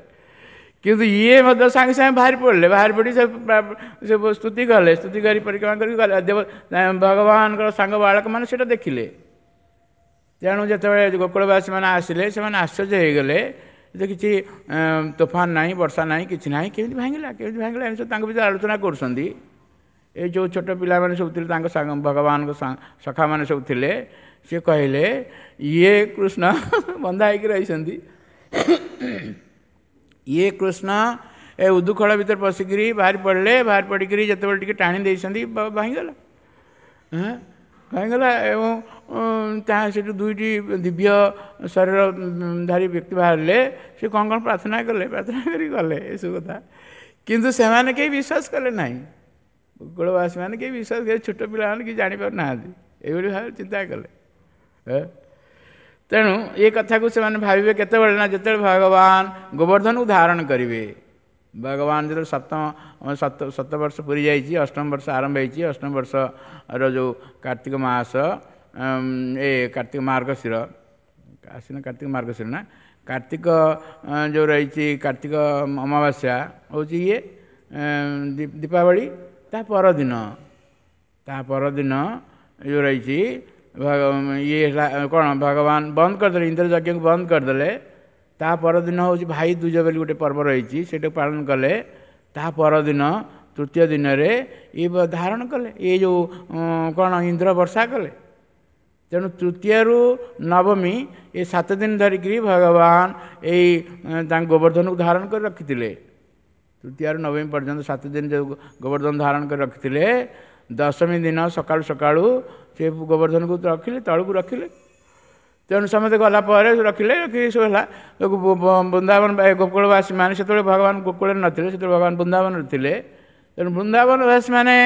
କିନ୍ତୁ ଇଏ ମଧ୍ୟ ସାଙ୍ଗେ ସାଙ୍ଗେ ବାହାରି ପଡ଼ିଲେ, ବାହାରି ପଡ଼ି ସେ ସ୍ତୁତି କଲେ, ସ୍ତୁତି କରି ପରିକ୍ରମା କରିକି ଗଲେ। ଦେବ ଭଗବାନଙ୍କର ସାଙ୍ଗ ବାଳକମାନେ ସେଇଟା ଦେଖିଲେ। ତେଣୁ ଯେତେବେଳେ ଗୋକୁଳବାସୀମାନେ ଆସିଲେ, ସେମାନେ ଆଶ୍ଚର୍ଯ୍ୟ ହେଇଗଲେ ଯେ କିଛି ତୋଫାନ ନାହିଁ, ବର୍ଷା ନାହିଁ, କିଛି ନାହିଁ, କେମିତି ଭାଙ୍ଗିଲା, କେମିତି ଭାଙ୍ଗିଲା, ଏମିତି ସବୁ ତାଙ୍କ ଭିତରେ ଆଲୋଚନା କରୁଛନ୍ତି। ଏଇ ଯେଉଁ ଛୋଟ ପିଲାମାନେ ସବୁ ଥିଲେ, ତାଙ୍କ ସାଙ୍ଗ ଭଗବାନଙ୍କ ସଖାମାନେ ସବୁ ଥିଲେ, ସିଏ କହିଲେ ଇଏ କୃଷ୍ଣ ବନ୍ଧା ହେଇକି ରହିଛନ୍ତି, ଇଏ କୃଷ୍ଣ ଏ ଉଦୁଖଳ ଭିତରେ ପଶିକିରି ବାହାରି ପଡ଼ିଲେ, ବାହାରି ପଡ଼ିକିରି ଯେତେବେଳେ ଟିକେ ଟାଣି ଦେଇଛନ୍ତି ଭାଙ୍ଗିଗଲା, ହଁ ଭାଙ୍ଗିଗଲା। ଏବଂ ତାହା ସେଠୁ ଦୁଇଟି ଦିବ୍ୟ ଶରୀର ଧାରୀ ବ୍ୟକ୍ତି ବାହାରିଲେ, ସେ କ'ଣ କ'ଣ ପ୍ରାର୍ଥନା କଲେ, ପ୍ରାର୍ଥନା କରି ଗଲେ, ଏସବୁ କଥା। କିନ୍ତୁ ସେମାନେ କେହି ବିଶ୍ୱାସ କଲେ ନାହିଁ, ଗୋକୁଳବାସୀମାନେ କେହି ବିଶ୍ୱାସ କଲେ, ଛୋଟ ପିଲାମାନେ କେହି ଜାଣିପାରୁନାହାନ୍ତି, ଏଇଭଳି ଭାବରେ ଚିନ୍ତା କଲେ। ତେଣୁ ଏ କଥାକୁ ସେମାନେ ଭାବିବେ କେତେବେଳେ ନା ଯେତେବେଳେ ଭଗବାନ ଗୋବର୍ଦ୍ଧନକୁ ଧାରଣ କରିବେ। ଭଗବାନ ଯେତେବେଳେ ସପ୍ତମ ସତ ବର୍ଷ ପୁରି ଯାଇଛି, ଅଷ୍ଟମ ବର୍ଷ ଆରମ୍ଭ ହେଇଛି, ଅଷ୍ଟମ ବର୍ଷର ଯେଉଁ କାର୍ତ୍ତିକ ମାସ, ଏ କାର୍ତ୍ତିକ ମାର୍ଗଶିର, ଆଶ୍ଵିନ କାର୍ତ୍ତିକ ମାର୍ଗଶିର ନା କାର୍ତ୍ତିକ ଯେଉଁ ରହିଛି, କାର୍ତ୍ତିକ ଅମାବାସ୍ୟା ହେଉଛି ଇଏ ଦୀପାବଳି, ତା ପରଦିନ, ତା ପରଦିନ ଯେଉଁ ରହିଛି ଇଏ ହେଲା କ'ଣ, ଭଗବାନ ବନ୍ଦ କରିଦେଲେ ଇନ୍ଦ୍ର ଯଜ୍ଞକୁ ବନ୍ଦ କରିଦେଲେ। ତା ପରଦିନ ହେଉଛି ଭାଇ ଦୁଜ ବୋଲି ଗୋଟେ ପର୍ବ ରହିଛି, ସେଇଟାକୁ ପାଳନ କଲେ। ତା ପରଦିନ ତୃତୀୟ ଦିନରେ ଇଏ ଧାରଣ କଲେ, ଏ ଯେଉଁ କ'ଣ ଇନ୍ଦ୍ର ବର୍ଷା କଲେ। ତେଣୁ ତୃତୀୟରୁ ନବମୀ ଏ 7 ଦିନ ଧରିକିରି ଭଗବାନ ଏଇ ତାଙ୍କ ଗୋବର୍ଦ୍ଧନକୁ ଧାରଣ କରି ରଖିଥିଲେ। ତୃତୀୟରୁ ନବମୀ ପର୍ଯ୍ୟନ୍ତ 7 ଦିନ ଯେଉଁ ଗୋବର୍ଦ୍ଧନ ଧାରଣ କରି ରଖିଥିଲେ, ଦଶମୀ ଦିନ ସକାଳୁ ସକାଳୁ ସେ ଗୋବର୍ଦ୍ଧନକୁ ରଖିଲେ, ତଳକୁ ରଖିଲେ। ତେଣୁ ସମସ୍ତେ ଗଲା ପରେ ରଖିଲେ, ରଖିକି ସବୁ ହେଲା। ବୃନ୍ଦାବନ ଗୋକୁଳବାସୀମାନେ ସେତେବେଳେ ଭଗବାନ ଗୋକୁଳରେ ନଥିଲେ, ସେତେବେଳେ ଭଗବାନ ବୃନ୍ଦାବନରେ ଥିଲେ। ତେଣୁ ବୃନ୍ଦାବନବାସୀମାନେ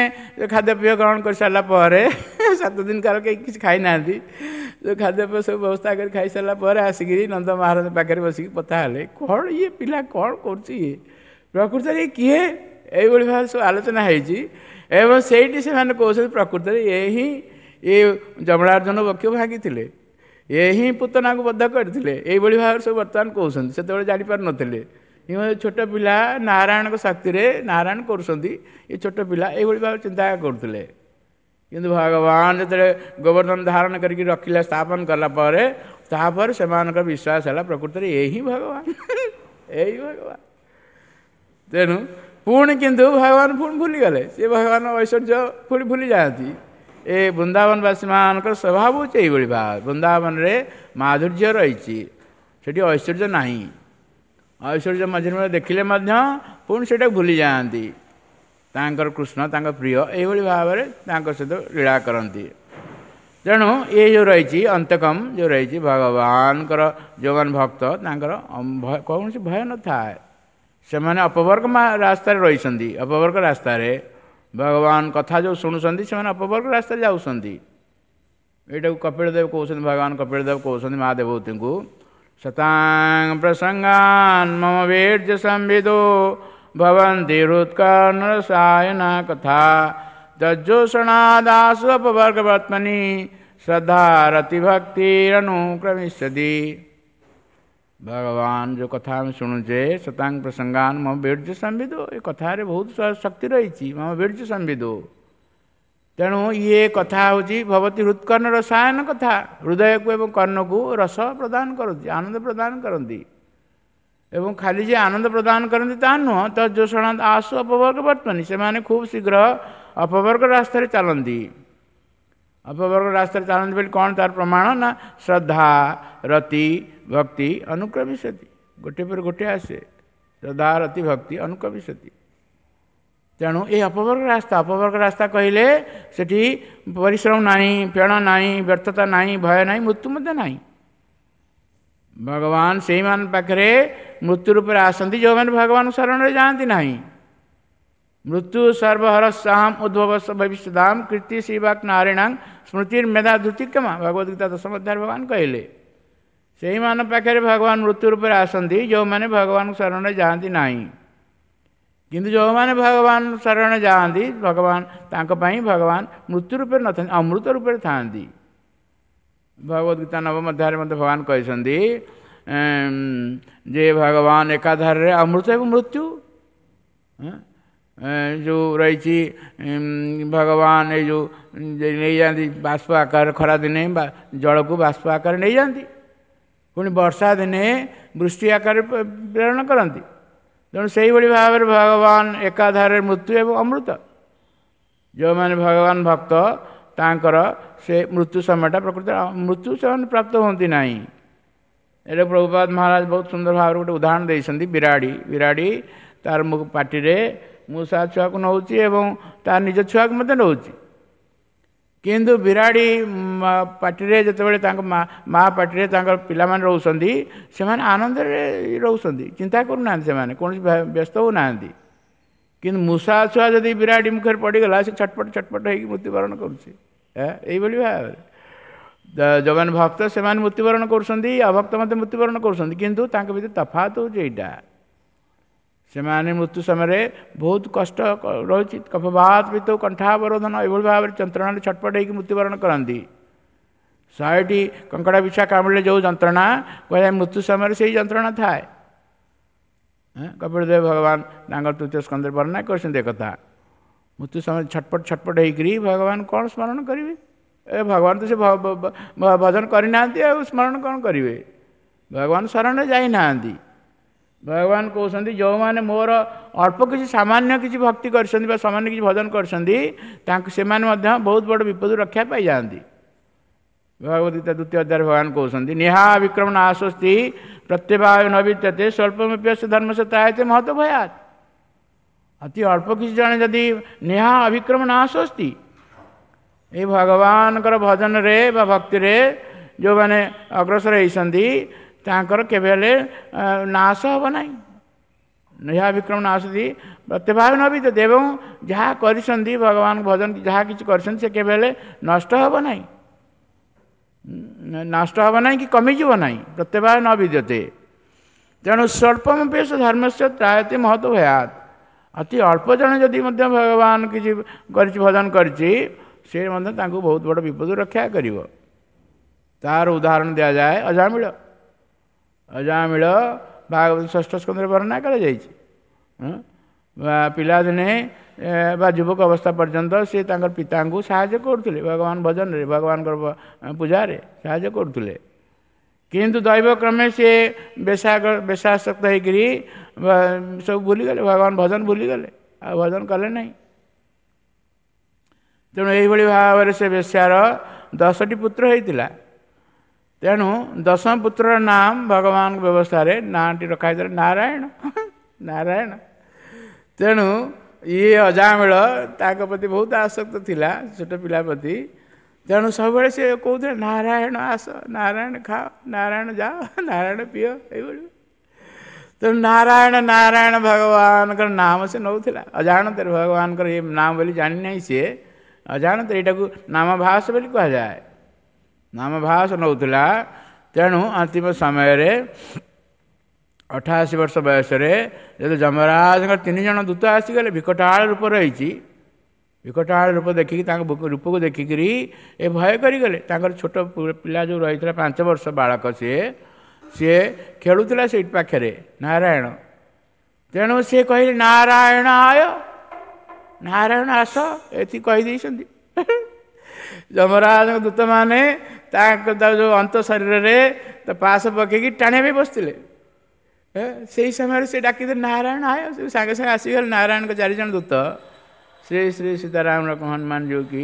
ଖାଦ୍ୟପେୟ ଗ୍ରହଣ କରିସାରିଲା ପରେ 7 ଦିନ କାଳ କେହି କିଛି ଖାଇନାହାନ୍ତି, ଖାଦ୍ୟପେୟ ସବୁ ବ୍ୟବସ୍ଥା କରି ଖାଇସାରିଲା ପରେ ଆସିକିରି ନନ୍ଦ ମହାରାଜ ପାଖରେ ବସିକି କଥା ହେଲେ, କ'ଣ ଇଏ ପିଲା କ'ଣ କରୁଛି, ଇଏ ପ୍ରକୃତରେ କିଏ? ଏଇଭଳି ଭାବରେ ସବୁ ଆଲୋଚନା ହେଇଛି। ଏବଂ ସେଇଠି ସେମାନେ କହୁଛନ୍ତି ପ୍ରକୃତରେ ଏ ହିଁ ଏ ଯମଳାର୍ଜୁନ ବକ୍ଷ ଭାଙ୍ଗିଥିଲେ, ଏ ହିଁ ପୁତନାକୁ ବଧ କରିଥିଲେ, ଏଇଭଳି ଭାବରେ ସବୁ ବର୍ତ୍ତମାନ କହୁଛନ୍ତି। ସେତେବେଳେ ଜାଣିପାରୁନଥିଲେ, ଛୋଟ ପିଲା ନାରାୟଣଙ୍କ ଶକ୍ତିରେ ନାରାୟଣ କରୁଛନ୍ତି, ଏ ଛୋଟ ପିଲା ଏଇଭଳି ଭାବରେ ଚିନ୍ତା କରୁଥିଲେ। କିନ୍ତୁ ଭଗବାନ ଯେତେବେଳେ ଗୋବର୍ଦ୍ଧନ ଧାରଣ କରିକି ରଖିଲେ, ସ୍ଥାପନ କଲା ପରେ, ତାପରେ ସେମାନଙ୍କର ବିଶ୍ୱାସ ହେଲା ପ୍ରକୃତରେ ଏ ହିଁ ଭଗବାନ, ଏଇ ଭଗବାନ। ତେଣୁ ପୁଣି କିନ୍ତୁ ଭଗବାନ ପୁଣି ଭୁଲିଗଲେ, ସେ ଭଗବାନ ଐଶ୍ୱର୍ଯ୍ୟ ପୁଣି ଭୁଲି ଯାଆନ୍ତି। ଏ ବୃନ୍ଦାବନବାସୀମାନଙ୍କର ସ୍ୱଭାବ ହେଉଛି ଏଇଭଳି ଭାବ। ବୃନ୍ଦାବନରେ ମାଧୁର୍ଯ୍ୟ ରହିଛି, ସେଠି ଐଶ୍ୱର୍ଯ୍ୟ ନାହିଁ। ଐଶ୍ୱର୍ଯ୍ୟ ମଝିରେ ମଝିରେ ଦେଖିଲେ ମଧ୍ୟ ପୁଣି ସେଇଟାକୁ ଭୁଲି ଯାଆନ୍ତି। ତାଙ୍କର କୃଷ୍ଣ ତାଙ୍କ ପ୍ରିୟ, ଏଇଭଳି ଭାବରେ ତାଙ୍କ ସହିତ ଲୀଳା କରନ୍ତି। ତେଣୁ ଏ ଯେଉଁ ରହିଛି ଅନ୍ତକମ ଯେଉଁ ରହିଛି, ଭଗବାନଙ୍କର ଯେଉଁମାନେ ଭକ୍ତ ତାଙ୍କର କୌଣସି ଭୟ ନଥାଏ। ସେମାନେ ଅପବର୍ଗ ରାସ୍ତାରେ ରହିଛନ୍ତି, ଅପବର୍ଗ ରାସ୍ତାରେ ଭଗବାନ କଥା ଯେଉଁ ଶୁଣୁଛନ୍ତି ସେମାନେ ଅପବର୍ଗ ରାସ୍ତାରେ ଯାଉଛନ୍ତି। ଏଇଟାକୁ କପିଳ ଦେବ କହୁଛନ୍ତି, ଭଗବାନ କପିଳ ଦେବ କହୁଛନ୍ତି ମା ଦେବହୂତିଙ୍କୁ, ଶତାଂ ପ୍ରସଙ୍ଗାନ୍ ମମ ବୀର୍ଯ୍ୟ ସମ୍ବିଦୋ ଭବନ୍ତି ହୃତ୍କର୍ଣ୍ଣରସାୟନା କଥା ତଜ୍ଜୋଷଣାଦାସୁ ଅପବର୍ଗବର୍ତ୍ମନି ଶ୍ରଦ୍ଧା ରତି ଭକ୍ତିରନୁକ୍ରମିଷ୍ୟତି। ଭଗବାନ ଯେଉଁ କଥା ଆମେ ଶୁଣୁଛେ, ଶତାଂ ପ୍ରସଙ୍ଗାନ ମମ ବୀର୍ଯ୍ୟ ସମ୍ବିଦୋ, ଏ କଥାରେ ବହୁତ ଶକ୍ତି ରହିଛି, ମମ ବୀର୍ଯ୍ୟ ସମ୍ବିଦୋ। ତେଣୁ ଇଏ କଥା ହେଉଛି ଭବତୀ ହୃତ୍କର୍ଣ୍ଣ ରସାୟନ କଥା, ହୃଦୟକୁ ଏବଂ କର୍ଣ୍ଣକୁ ରସ ପ୍ରଦାନ କରନ୍ତି, ଆନନ୍ଦ ପ୍ରଦାନ କରନ୍ତି। ଏବଂ ଖାଲି ଯେ ଆନନ୍ଦ ପ୍ରଦାନ କରନ୍ତି ତାହା ନୁହଁ, ତଜ୍ଜୋଷଣା ଆସୁ ଅପବର୍ଗ ବର୍ତ୍ତନି, ସେମାନେ ଖୁବ୍ ଶୀଘ୍ର ଅପବର୍ଗ ରାସ୍ତାରେ ଚାଲନ୍ତି। ଅପବର୍ଗ ରାସ୍ତାରେ ଚାଲନ୍ତି ବୋଲି କ'ଣ ତାର ପ୍ରମାଣ ନା ଶ୍ରଦ୍ଧା ରତି ଭକ୍ତି ଅନୁକ୍ରମିଷ୍ୟତି, ଗୋଟିଏ ପରେ ଗୋଟିଏ ଆସେ, ଶ୍ରଦ୍ଧା ରତି ଭକ୍ତି ଅନୁକ୍ରମିଷ୍ୟତି। ତେଣୁ ଏଇ ଅପବର୍ଗ ରାସ୍ତା, ଅପବର୍ଗ ରାସ୍ତା କହିଲେ ସେଠି ପରିଶ୍ରମ ନାହିଁ, ଫେଣ ନାହିଁ, ବ୍ୟର୍ଥତା ନାହିଁ, ଭୟ ନାହିଁ, ମୃତ୍ୟୁ ମଧ୍ୟ ନାହିଁ। ଭଗବାନ ସେଇମାନଙ୍କ ପାଖରେ ମୃତ୍ୟୁ ରୂପରେ ଆସନ୍ତି ଯେଉଁମାନେ ଭଗବାନ ଶରଣରେ ଯାଆନ୍ତି ନାହିଁ। ମୃତ୍ୟୁ ସର୍ବହରସାମ ଉଦ୍ଭବ ଭବିଷ୍ୟଦାମ କୀର୍ତ୍ତି ଶିବାକ ନାରାୟଣାଂ ସ୍ମୃତିର ମେଧା ଧୃତିକ୍ଷମା, ଭଗବଦ ଗୀତା ଦଶମ ଅଧ୍ୟାୟରେ ଭଗବାନ କହିଲେ ସେଇମାନଙ୍କ ପାଖରେ ଭଗବାନ ମୃତ୍ୟୁ ରୂପରେ ଆସନ୍ତି ଯେଉଁମାନେ ଭଗବାନଙ୍କ ଶରଣରେ ଯାଆନ୍ତି ନାହିଁ। କିନ୍ତୁ ଯେଉଁମାନେ ଭଗବାନ ଶରଣରେ ଯାଆନ୍ତି, ଭଗବାନ ତାଙ୍କ ପାଇଁ ଭଗବାନ ମୃତ୍ୟୁ ରୂପରେ ନଥାନ୍ତି, ଅମୃତ ରୂପରେ ଥାଆନ୍ତି। ଭଗବଦ ଗୀତା ନବମ ଅଧ୍ୟାୟରେ ମଧ୍ୟ ଭଗବାନ କହିଛନ୍ତି ଯେ ଭଗବାନ ଏକାଧାରରେ ଅମୃତ ଏବଂ ମୃତ୍ୟୁ ଯେଉଁ ରହିଛି। ଭଗବାନ ଏଇ ଯେଉଁ ନେଇଯାଆନ୍ତି ବାଷ୍ପ ଆକାରରେ, ଖରାଦିନେ ଜଳକୁ ବାଷ୍ପ ଆକାରରେ ନେଇଯାଆନ୍ତି, ପୁଣି ବର୍ଷା ଦିନେ ବୃଷ୍ଟି ଆକାରରେ ପ୍ରେରଣ କରନ୍ତି। ତେଣୁ ସେଇଭଳି ଭାବରେ ଭଗବାନ ଏକାଧାରରେ ମୃତ୍ୟୁ ଏବଂ ଅମୃତ। ଯେଉଁମାନେ ଭଗବାନ ଭକ୍ତ ତାଙ୍କର ସେ ମୃତ୍ୟୁ ସମୟଟା ପ୍ରକୃତ ମୃତ୍ୟୁ ସେମାନେ ପ୍ରାପ୍ତ ହୁଅନ୍ତି ନାହିଁ। ଏଇଟା ପ୍ରଭୁପାଦ ମହାରାଜ ବହୁତ ସୁନ୍ଦର ଭାବରେ ଗୋଟେ ଉଦାହରଣ ଦେଇଛନ୍ତି। ବିରାଡ଼ି, ବିରାଡ଼ି ତାର ପାଟିରେ ମୂଷା ଛୁଆକୁ ନେଉଛି ଏବଂ ତାର ନିଜ ଛୁଆକୁ ମଧ୍ୟ ନେଉଛି। କିନ୍ତୁ ବିରାଡ଼ି ପାଟିରେ ଯେତେବେଳେ ତାଙ୍କ ମା ପାଟିରେ ତାଙ୍କର ପିଲାମାନେ ରହୁଛନ୍ତି, ସେମାନେ ଆନନ୍ଦରେ ରହୁଛନ୍ତି, ଚିନ୍ତା କରୁନାହାନ୍ତି, ସେମାନେ କୌଣସି ବ୍ୟସ୍ତ ହେଉନାହାନ୍ତି। କିନ୍ତୁ ମୂଷା ଛୁଆ ଯଦି ବିରାଡ଼ି ମୁଖରେ ପଡ଼ିଗଲା, ସେ ଛଟପଟ ଛଟପଟ ହେଇକି ମୃତ୍ୟୁବରଣ କରୁଛି। ଏଇଭଳି ଭାବରେ ଯେଉଁମାନେ ଭକ୍ତ ସେମାନେ ମୃତ୍ୟୁବରଣ କରୁଛନ୍ତି, ଅଭକ୍ତ ମଧ୍ୟ ମୃତ୍ୟୁବରଣ କରୁଛନ୍ତି, କିନ୍ତୁ ତାଙ୍କ ଭିତରେ ତଫାତ ହେଉଛି ଏଇଟା, ସେମାନେ ମୃତ୍ୟୁ ସମୟରେ ବହୁତ କଷ୍ଟ ରହୁଛି, କଫବାତ ପିତ କଣ୍ଠାବରୋଧନ, ଏଭଳି ଭାବରେ ଯନ୍ତ୍ରଣାରେ ଛଟପଟ ହେଇକି ମୃତ୍ୟୁବରଣ କରନ୍ତି। 100ଟି କଙ୍କଡ଼ା ବିଛା କାମୁଡ଼ିଲେ ଯେଉଁ ଯନ୍ତ୍ରଣା କୁହାଯାଏ, ମୃତ୍ୟୁ ସମୟରେ ସେଇ ଯନ୍ତ୍ରଣା ଥାଏ। କପିଳଦେବ ଭଗବାନ ତାଙ୍କର ତୃତୀୟ ସ୍କନ୍ଧରେ ବର୍ଣ୍ଣନା କରିଛନ୍ତି ଏକଥା। ମୃତ୍ୟୁ ସମୟରେ ଛଟପଟ ଛଟପଟ ହେଇକରି ଭଗବାନ କ'ଣ ସ୍ମରଣ କରିବେ? ଏ ଭଗବାନ ତ ସେ ଭଜନ କରିନାହାନ୍ତି, ଆଉ ସ୍ମରଣ କ'ଣ କରିବେ? ଭଗବାନ ଶରଣରେ ଯାଇନାହାନ୍ତି। ଭଗବାନ କହୁଛନ୍ତି ଯେଉଁମାନେ ମୋର ଅଳ୍ପ କିଛି ସାମାନ୍ୟ କିଛି ଭକ୍ତି କରିଛନ୍ତି ବା ସାମାନ୍ୟ କିଛି ଭଜନ କରିଛନ୍ତି, ତାଙ୍କୁ ସେମାନେ ମଧ୍ୟ ବହୁତ ବଡ଼ ବିପଦରୁ ରକ୍ଷା ପାଇଯାଆନ୍ତି। ଭଗବଦ ଗୀତା ଦ୍ୱିତୀୟ ଅଧ୍ୟାୟରେ ଭଗବାନ କହୁଛନ୍ତି, ନିହା ବିକ୍ରମ ନାଶସ୍ତି ପ୍ରତ୍ୟବାୟ ନ ବିଦ୍ୟତେ ସ୍ୱଳ୍ପମପ୍ୟସ୍ୟ ଧର୍ମସ୍ୟ ତ୍ରାୟତେ ମହତ ଭୟାତ୍। ଅତି ଅଳ୍ପ କିଛି ଜଣେ ଯଦି ନିହା ଅବିକ୍ରମ ନାଶସ୍ତି, ଏଇ ଭଗବାନଙ୍କର ଭଜନରେ ବା ଭକ୍ତିରେ ଯେଉଁମାନେ ଅଗ୍ରସର ହେଇଛନ୍ତି ତାଙ୍କର କେବେ ହେଲେ ନାଶ ହେବ ନାହିଁ। ନିହା ବିକ୍ରମ ନାଶସ୍ତି ପ୍ରତ୍ୟଭାବ ନ ବିଦ୍ୟତେ, ଏବଂ ଯାହା କରିଛନ୍ତି ଭଗବାନ ଭଜନ ଯାହା କିଛି କରିଛନ୍ତି ସେ କେବେ ହେଲେ ନଷ୍ଟ ହେବ ନାହିଁ, ନଷ୍ଟ ହେବ ନାହିଁ କି କମିଯିବ ନାହିଁ, ପ୍ରତ୍ୟବାୟ ନ ବିଦ୍ୟତେ। ତେଣୁ ସ୍ୱଳ୍ପମପି ଧର୍ମସ୍ୟ ତ୍ରାୟତେ ମହତ ଭୟାତ୍। ଅତି ଅଳ୍ପ ଜଣେ ଯଦି ମଧ୍ୟ ଭଗବାନ କିଛି କରିଛି, ଭଜନ କରିଛି, ସେ ମଧ୍ୟ ତାଙ୍କୁ ବହୁତ ବଡ଼ ବିପଦରୁ ରକ୍ଷା କରିବ। ତାର ଉଦାହରଣ ଦିଆଯାଏ ଅଜାମିଳ। ଅଜାମିଳ ଭାଗବତ ଷଷ୍ଠ ସ୍କନ୍ଧରେ ବର୍ଣ୍ଣନା କରାଯାଇଛି। ପିଲାଦିନେ ବା ଯୁବକ ଅବସ୍ଥା ପର୍ଯ୍ୟନ୍ତ ସେ ତାଙ୍କର ପିତାଙ୍କୁ ସାହାଯ୍ୟ କରୁଥିଲେ, ଭଗବାନ ଭଜନରେ, ଭଗବାନଙ୍କର ପୂଜାରେ ସାହାଯ୍ୟ କରୁଥିଲେ। କିନ୍ତୁ ଦୈବକ୍ରମେ ସେ ବେଶାସକ୍ତ ହେଇକରି ସବୁ ଭୁଲିଗଲେ, ଭଗବାନ ଭଜନ ଭୁଲିଗଲେ, ଆଉ ଭଜନ କଲେ ନାହିଁ। ତେଣୁ ଏଇଭଳି ଭାବରେ ସେ ବେଶ୍ୟାର 10ଟି ପୁତ୍ର ହେଇଥିଲା। ତେଣୁ ଦଶମ ପୁତ୍ରର ନାମ ଭଗବାନଙ୍କ ବ୍ୟବସ୍ଥାରେ ନାଁଟି ରଖା ହେଇଥିଲା ନାରାୟଣ। ନାରାୟଣ। ତେଣୁ ଇଏ ଅଜାମିଳ ତାଙ୍କ ପ୍ରତି ବହୁତ ଆସକ୍ତ ଥିଲା, ଛୋଟ ପିଲା ପ୍ରତି। ତେଣୁ ସବୁବେଳେ ସେ କହୁଥିଲେ ନାରାୟଣ ଆସ, ନାରାୟଣ ଖାଅ, ନାରାୟଣ ଯାଅ, ନାରାୟଣ ପିଅ, ଏଇଭଳି। ତେଣୁ ନାରାୟଣ ନାରାୟଣ ଭଗବାନଙ୍କର ନାମ ସେ ନେଉଥିଲା ଅଜାଣତରେ। ଭଗବାନଙ୍କର ଏ ନାମ ବୋଲି ଜାଣିନାହିଁ ସିଏ, ଅଜାଣତରେ। ଏଇଟାକୁ ନାମଭାସ ବୋଲି କୁହାଯାଏ। ନାମଭାସ ନେଉଥିଲା। ତେଣୁ ଅନ୍ତିମ ସମୟରେ 88 ବର୍ଷ ବୟସରେ ଯଦି ଯମରାଜଙ୍କର 3 ଜଣ ଦୂତ ଆସିଗଲେ, ବିକଟାଳ ରୂପ ରହିଛି, ବିକଟାଳ ରୂପ ଦେଖିକି, ତାଙ୍କ ରୂପକୁ ଦେଖିକିରି ଏ ଭୟ କରିଗଲେ। ତାଙ୍କର ଛୋଟ ପିଲା ଯେଉଁ ରହିଥିଲା, 5 ବର୍ଷ ବାଳକ, ସିଏ ଖେଳୁଥିଲା ସେଇଠି ପାଖରେ ନାରାୟଣ। ତେଣୁ ସିଏ କହିଲେ ନାରାୟଣ ଆୟ, ନାରାୟଣ ଆସ, ଏତିକି କହିଦେଇଛନ୍ତି। ଯମରାଜଙ୍କ ଦୂତମାନେ ତାଙ୍କ ଯେଉଁ ଅନ୍ତ ଶରୀରରେ ପାଶ ପକେଇକି ଟାଣିବା ପାଇଁ ବସିଥିଲେ। ସେଇ ସମୟରେ ସେ ଡାକିଦେଲେ ନାରାୟଣ ଆୟ, ସେ ସାଙ୍ଗେ ସାଙ୍ଗେ ଆସିଗଲେ ନାରାୟଣଙ୍କ 4 ଜଣ ଦୂତ। ଶ୍ରୀ ଶ୍ରୀ ସୀତାରାମ ହନୁମାନ ଯୋଉ କି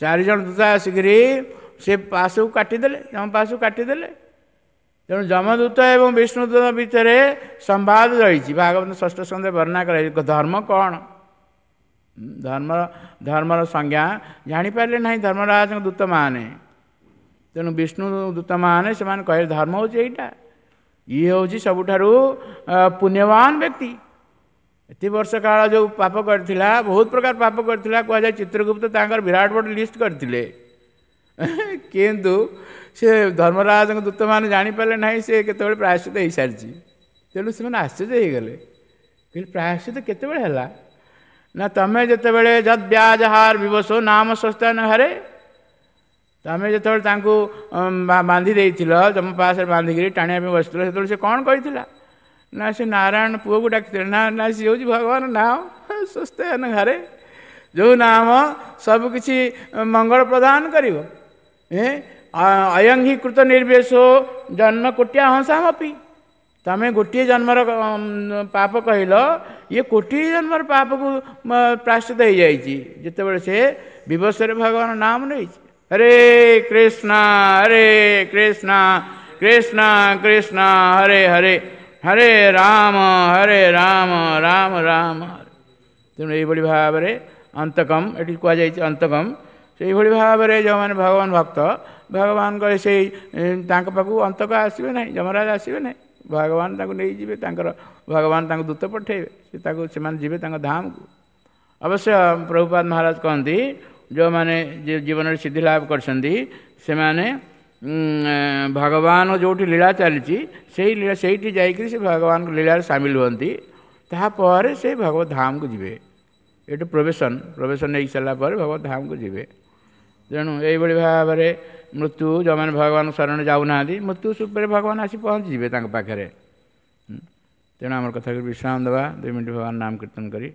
4 ଜଣ ଦୂତ ଆସିକରି ସେ ପାଶକୁ କାଟିଦେଲେ, ଯମ ପାଶକୁ କାଟିଦେଲେ। ତେଣୁ ଯମଦୂତ ଏବଂ ବିଷ୍ଣୁଦୂତ ଭିତରେ ସମ୍ବାଦ ରହିଛି। ଭାଗବତ ଷଷ୍ଠ ସ୍କନ୍ଧରେ ବର୍ଣ୍ଣନା କରାଯାଇଛି ଧର୍ମ କ'ଣ। ଧର୍ମର ସଂଜ୍ଞା ଜାଣିପାରିଲେ ନାହିଁ ଧର୍ମରାଜଙ୍କ ଦୂତମାନେ। ତେଣୁ ବିଷ୍ଣୁ ଦୂତମାନେ ସେମାନେ କହିଲେ ଧର୍ମ ହେଉଛି ଏଇଟା, ଇଏ ହେଉଛି ସବୁଠାରୁ ପୁଣ୍ୟବାନ ବ୍ୟକ୍ତି। ଏତେ ବର୍ଷ କାଳ ଯେଉଁ ପାପ କରିଥିଲା, ବହୁତ ପ୍ରକାର ପାପ କରିଥିଲା, କୁହାଯାଏ ଚିତ୍ରଗୁପ୍ତ ତାଙ୍କର ବିରାଟ ବଡ଼ ଲିଷ୍ଟ କରିଥିଲେ। କିନ୍ତୁ ସେ ଧର୍ମରାଜଙ୍କ ଦୂତମାନେ ଜାଣିପାରିଲେ ନାହିଁ ସେ କେତେବେଳେ ପ୍ରାୟଶ୍ଚିତ ହେଇସାରିଛି। ତେଣୁ ସେମାନେ ଆଶ୍ଚର୍ଯ୍ୟ ହେଇଗଲେ, କହିଲେ ପ୍ରାୟଶ୍ଚିତ କେତେବେଳେ ହେଲା? ନା ତମେ ଯେତେବେଳେ ଯଦ୍ ବ୍ୟାଜହାର ବିବସୋ ନାମ ସ୍ୱସ୍ଥାନ ହରେ, ତମେ ଯେତେବେଳେ ତାଙ୍କୁ ବାନ୍ଧି ଦେଇଥିଲ, ତମ ପାଶରେ ବାନ୍ଧିକିରି ଟାଣିବା ପାଇଁ ବସିଥିଲ, ସେତେବେଳେ ସେ କ'ଣ କହିଥିଲା? ନା ସେ ନାରାୟଣ ପୁଅକୁ ଡାକିଥିଲେ। ନା ନା, ସିଏ ହେଉଛି ଭଗବାନ ନାମ ସ୍ୱସ୍ଥାନ ହରେ, ଯେଉଁ ନାମ ସବୁକିଛି ମଙ୍ଗଳ ପ୍ରଦାନ କରିବ। ଅୟଂ ହି କୃତ ନିର୍ବେଶୋ ଜନ୍ମ କୋଟିଆ ହଂସାମପି, ତମେ ଗୋଟିଏ ଜନ୍ମର ପାପ କହିଲ, ଇଏ କୋଟିଏ ଜନ୍ମର ପାପକୁ ପ୍ରାୟଶ୍ଚିତ ହେଇଯାଇଛି ଯେତେବେଳେ ସେ ବିବସରେ ଭଗବାନ ନାମ ନେଇଛି। ହରେ କୃଷ୍ଣ ହରେ କୃଷ୍ଣ କୃଷ୍ଣ କୃଷ୍ଣ ହରେ ହରେ, ହରେ ରାମ ହରେ ରାମ ରାମ ରାମ ହରେ। ତେଣୁ ଏଇଭଳି ଭାବରେ ଅନ୍ତକମ୍ ଏଠି କୁହାଯାଇଛି ଅନ୍ତକମ୍। ସେଇଭଳି ଭାବରେ ଯେଉଁମାନେ ଭଗବାନ ଭକ୍ତ, ଭଗବାନଙ୍କ ସେଇ ତାଙ୍କ ପାଖକୁ ଅନ୍ତକ ଆସିବେ ନାହିଁ, ଯମରାଜ ଆସିବେ ନାହିଁ। ଭଗବାନ ତାଙ୍କୁ ନେଇଯିବେ, ତାଙ୍କର ଭଗବାନ ତାଙ୍କୁ ଦୂତ ପଠେଇବେ, ସେ ତାକୁ ସେମାନେ ଯିବେ ତାଙ୍କ ଧାମକୁ। ଅବଶ୍ୟ ପ୍ରଭୁପାଦ ମହାରାଜ କହନ୍ତି ଯେଉଁମାନେ ଜୀବନରେ ସିଦ୍ଧି ଲାଭ କରିଛନ୍ତି ସେମାନେ ଭଗବାନ ଯେଉଁଠି ଲୀଳା ଚାଲିଛି ସେଇ ଲୀଳା ସେଇଠି ଯାଇକରି ସେ ଭଗବାନଙ୍କ ଲୀଳାରେ ସାମିଲ ହୁଅନ୍ତି। ତାପରେ ସେ ଭଗବତ ଧାମକୁ ଯିବେ। ଏଇଠୁ ପ୍ରବେଶନ ନେଇ ସାରିଲା ପରେ ଭଗବତ ଧାମକୁ ଯିବେ। ତେଣୁ ଏଇଭଳି ଭାବରେ ମୃତ୍ୟୁ, ଯେଉଁମାନେ ଭଗବାନ ଶରଣ ଯାଉନାହାନ୍ତି, ମୃତ୍ୟୁ ଉପରେ ଭଗବାନ ଆସି ପହଞ୍ଚିଯିବେ ତାଙ୍କ ପାଖରେ। ତେଣୁ ଆମର କଥାକୁ ବିଶ୍ରାମ ଦେବା, 2 ମିନିଟ୍ ଭଗବାନ ନାମ କୀର୍ତ୍ତନ କରି।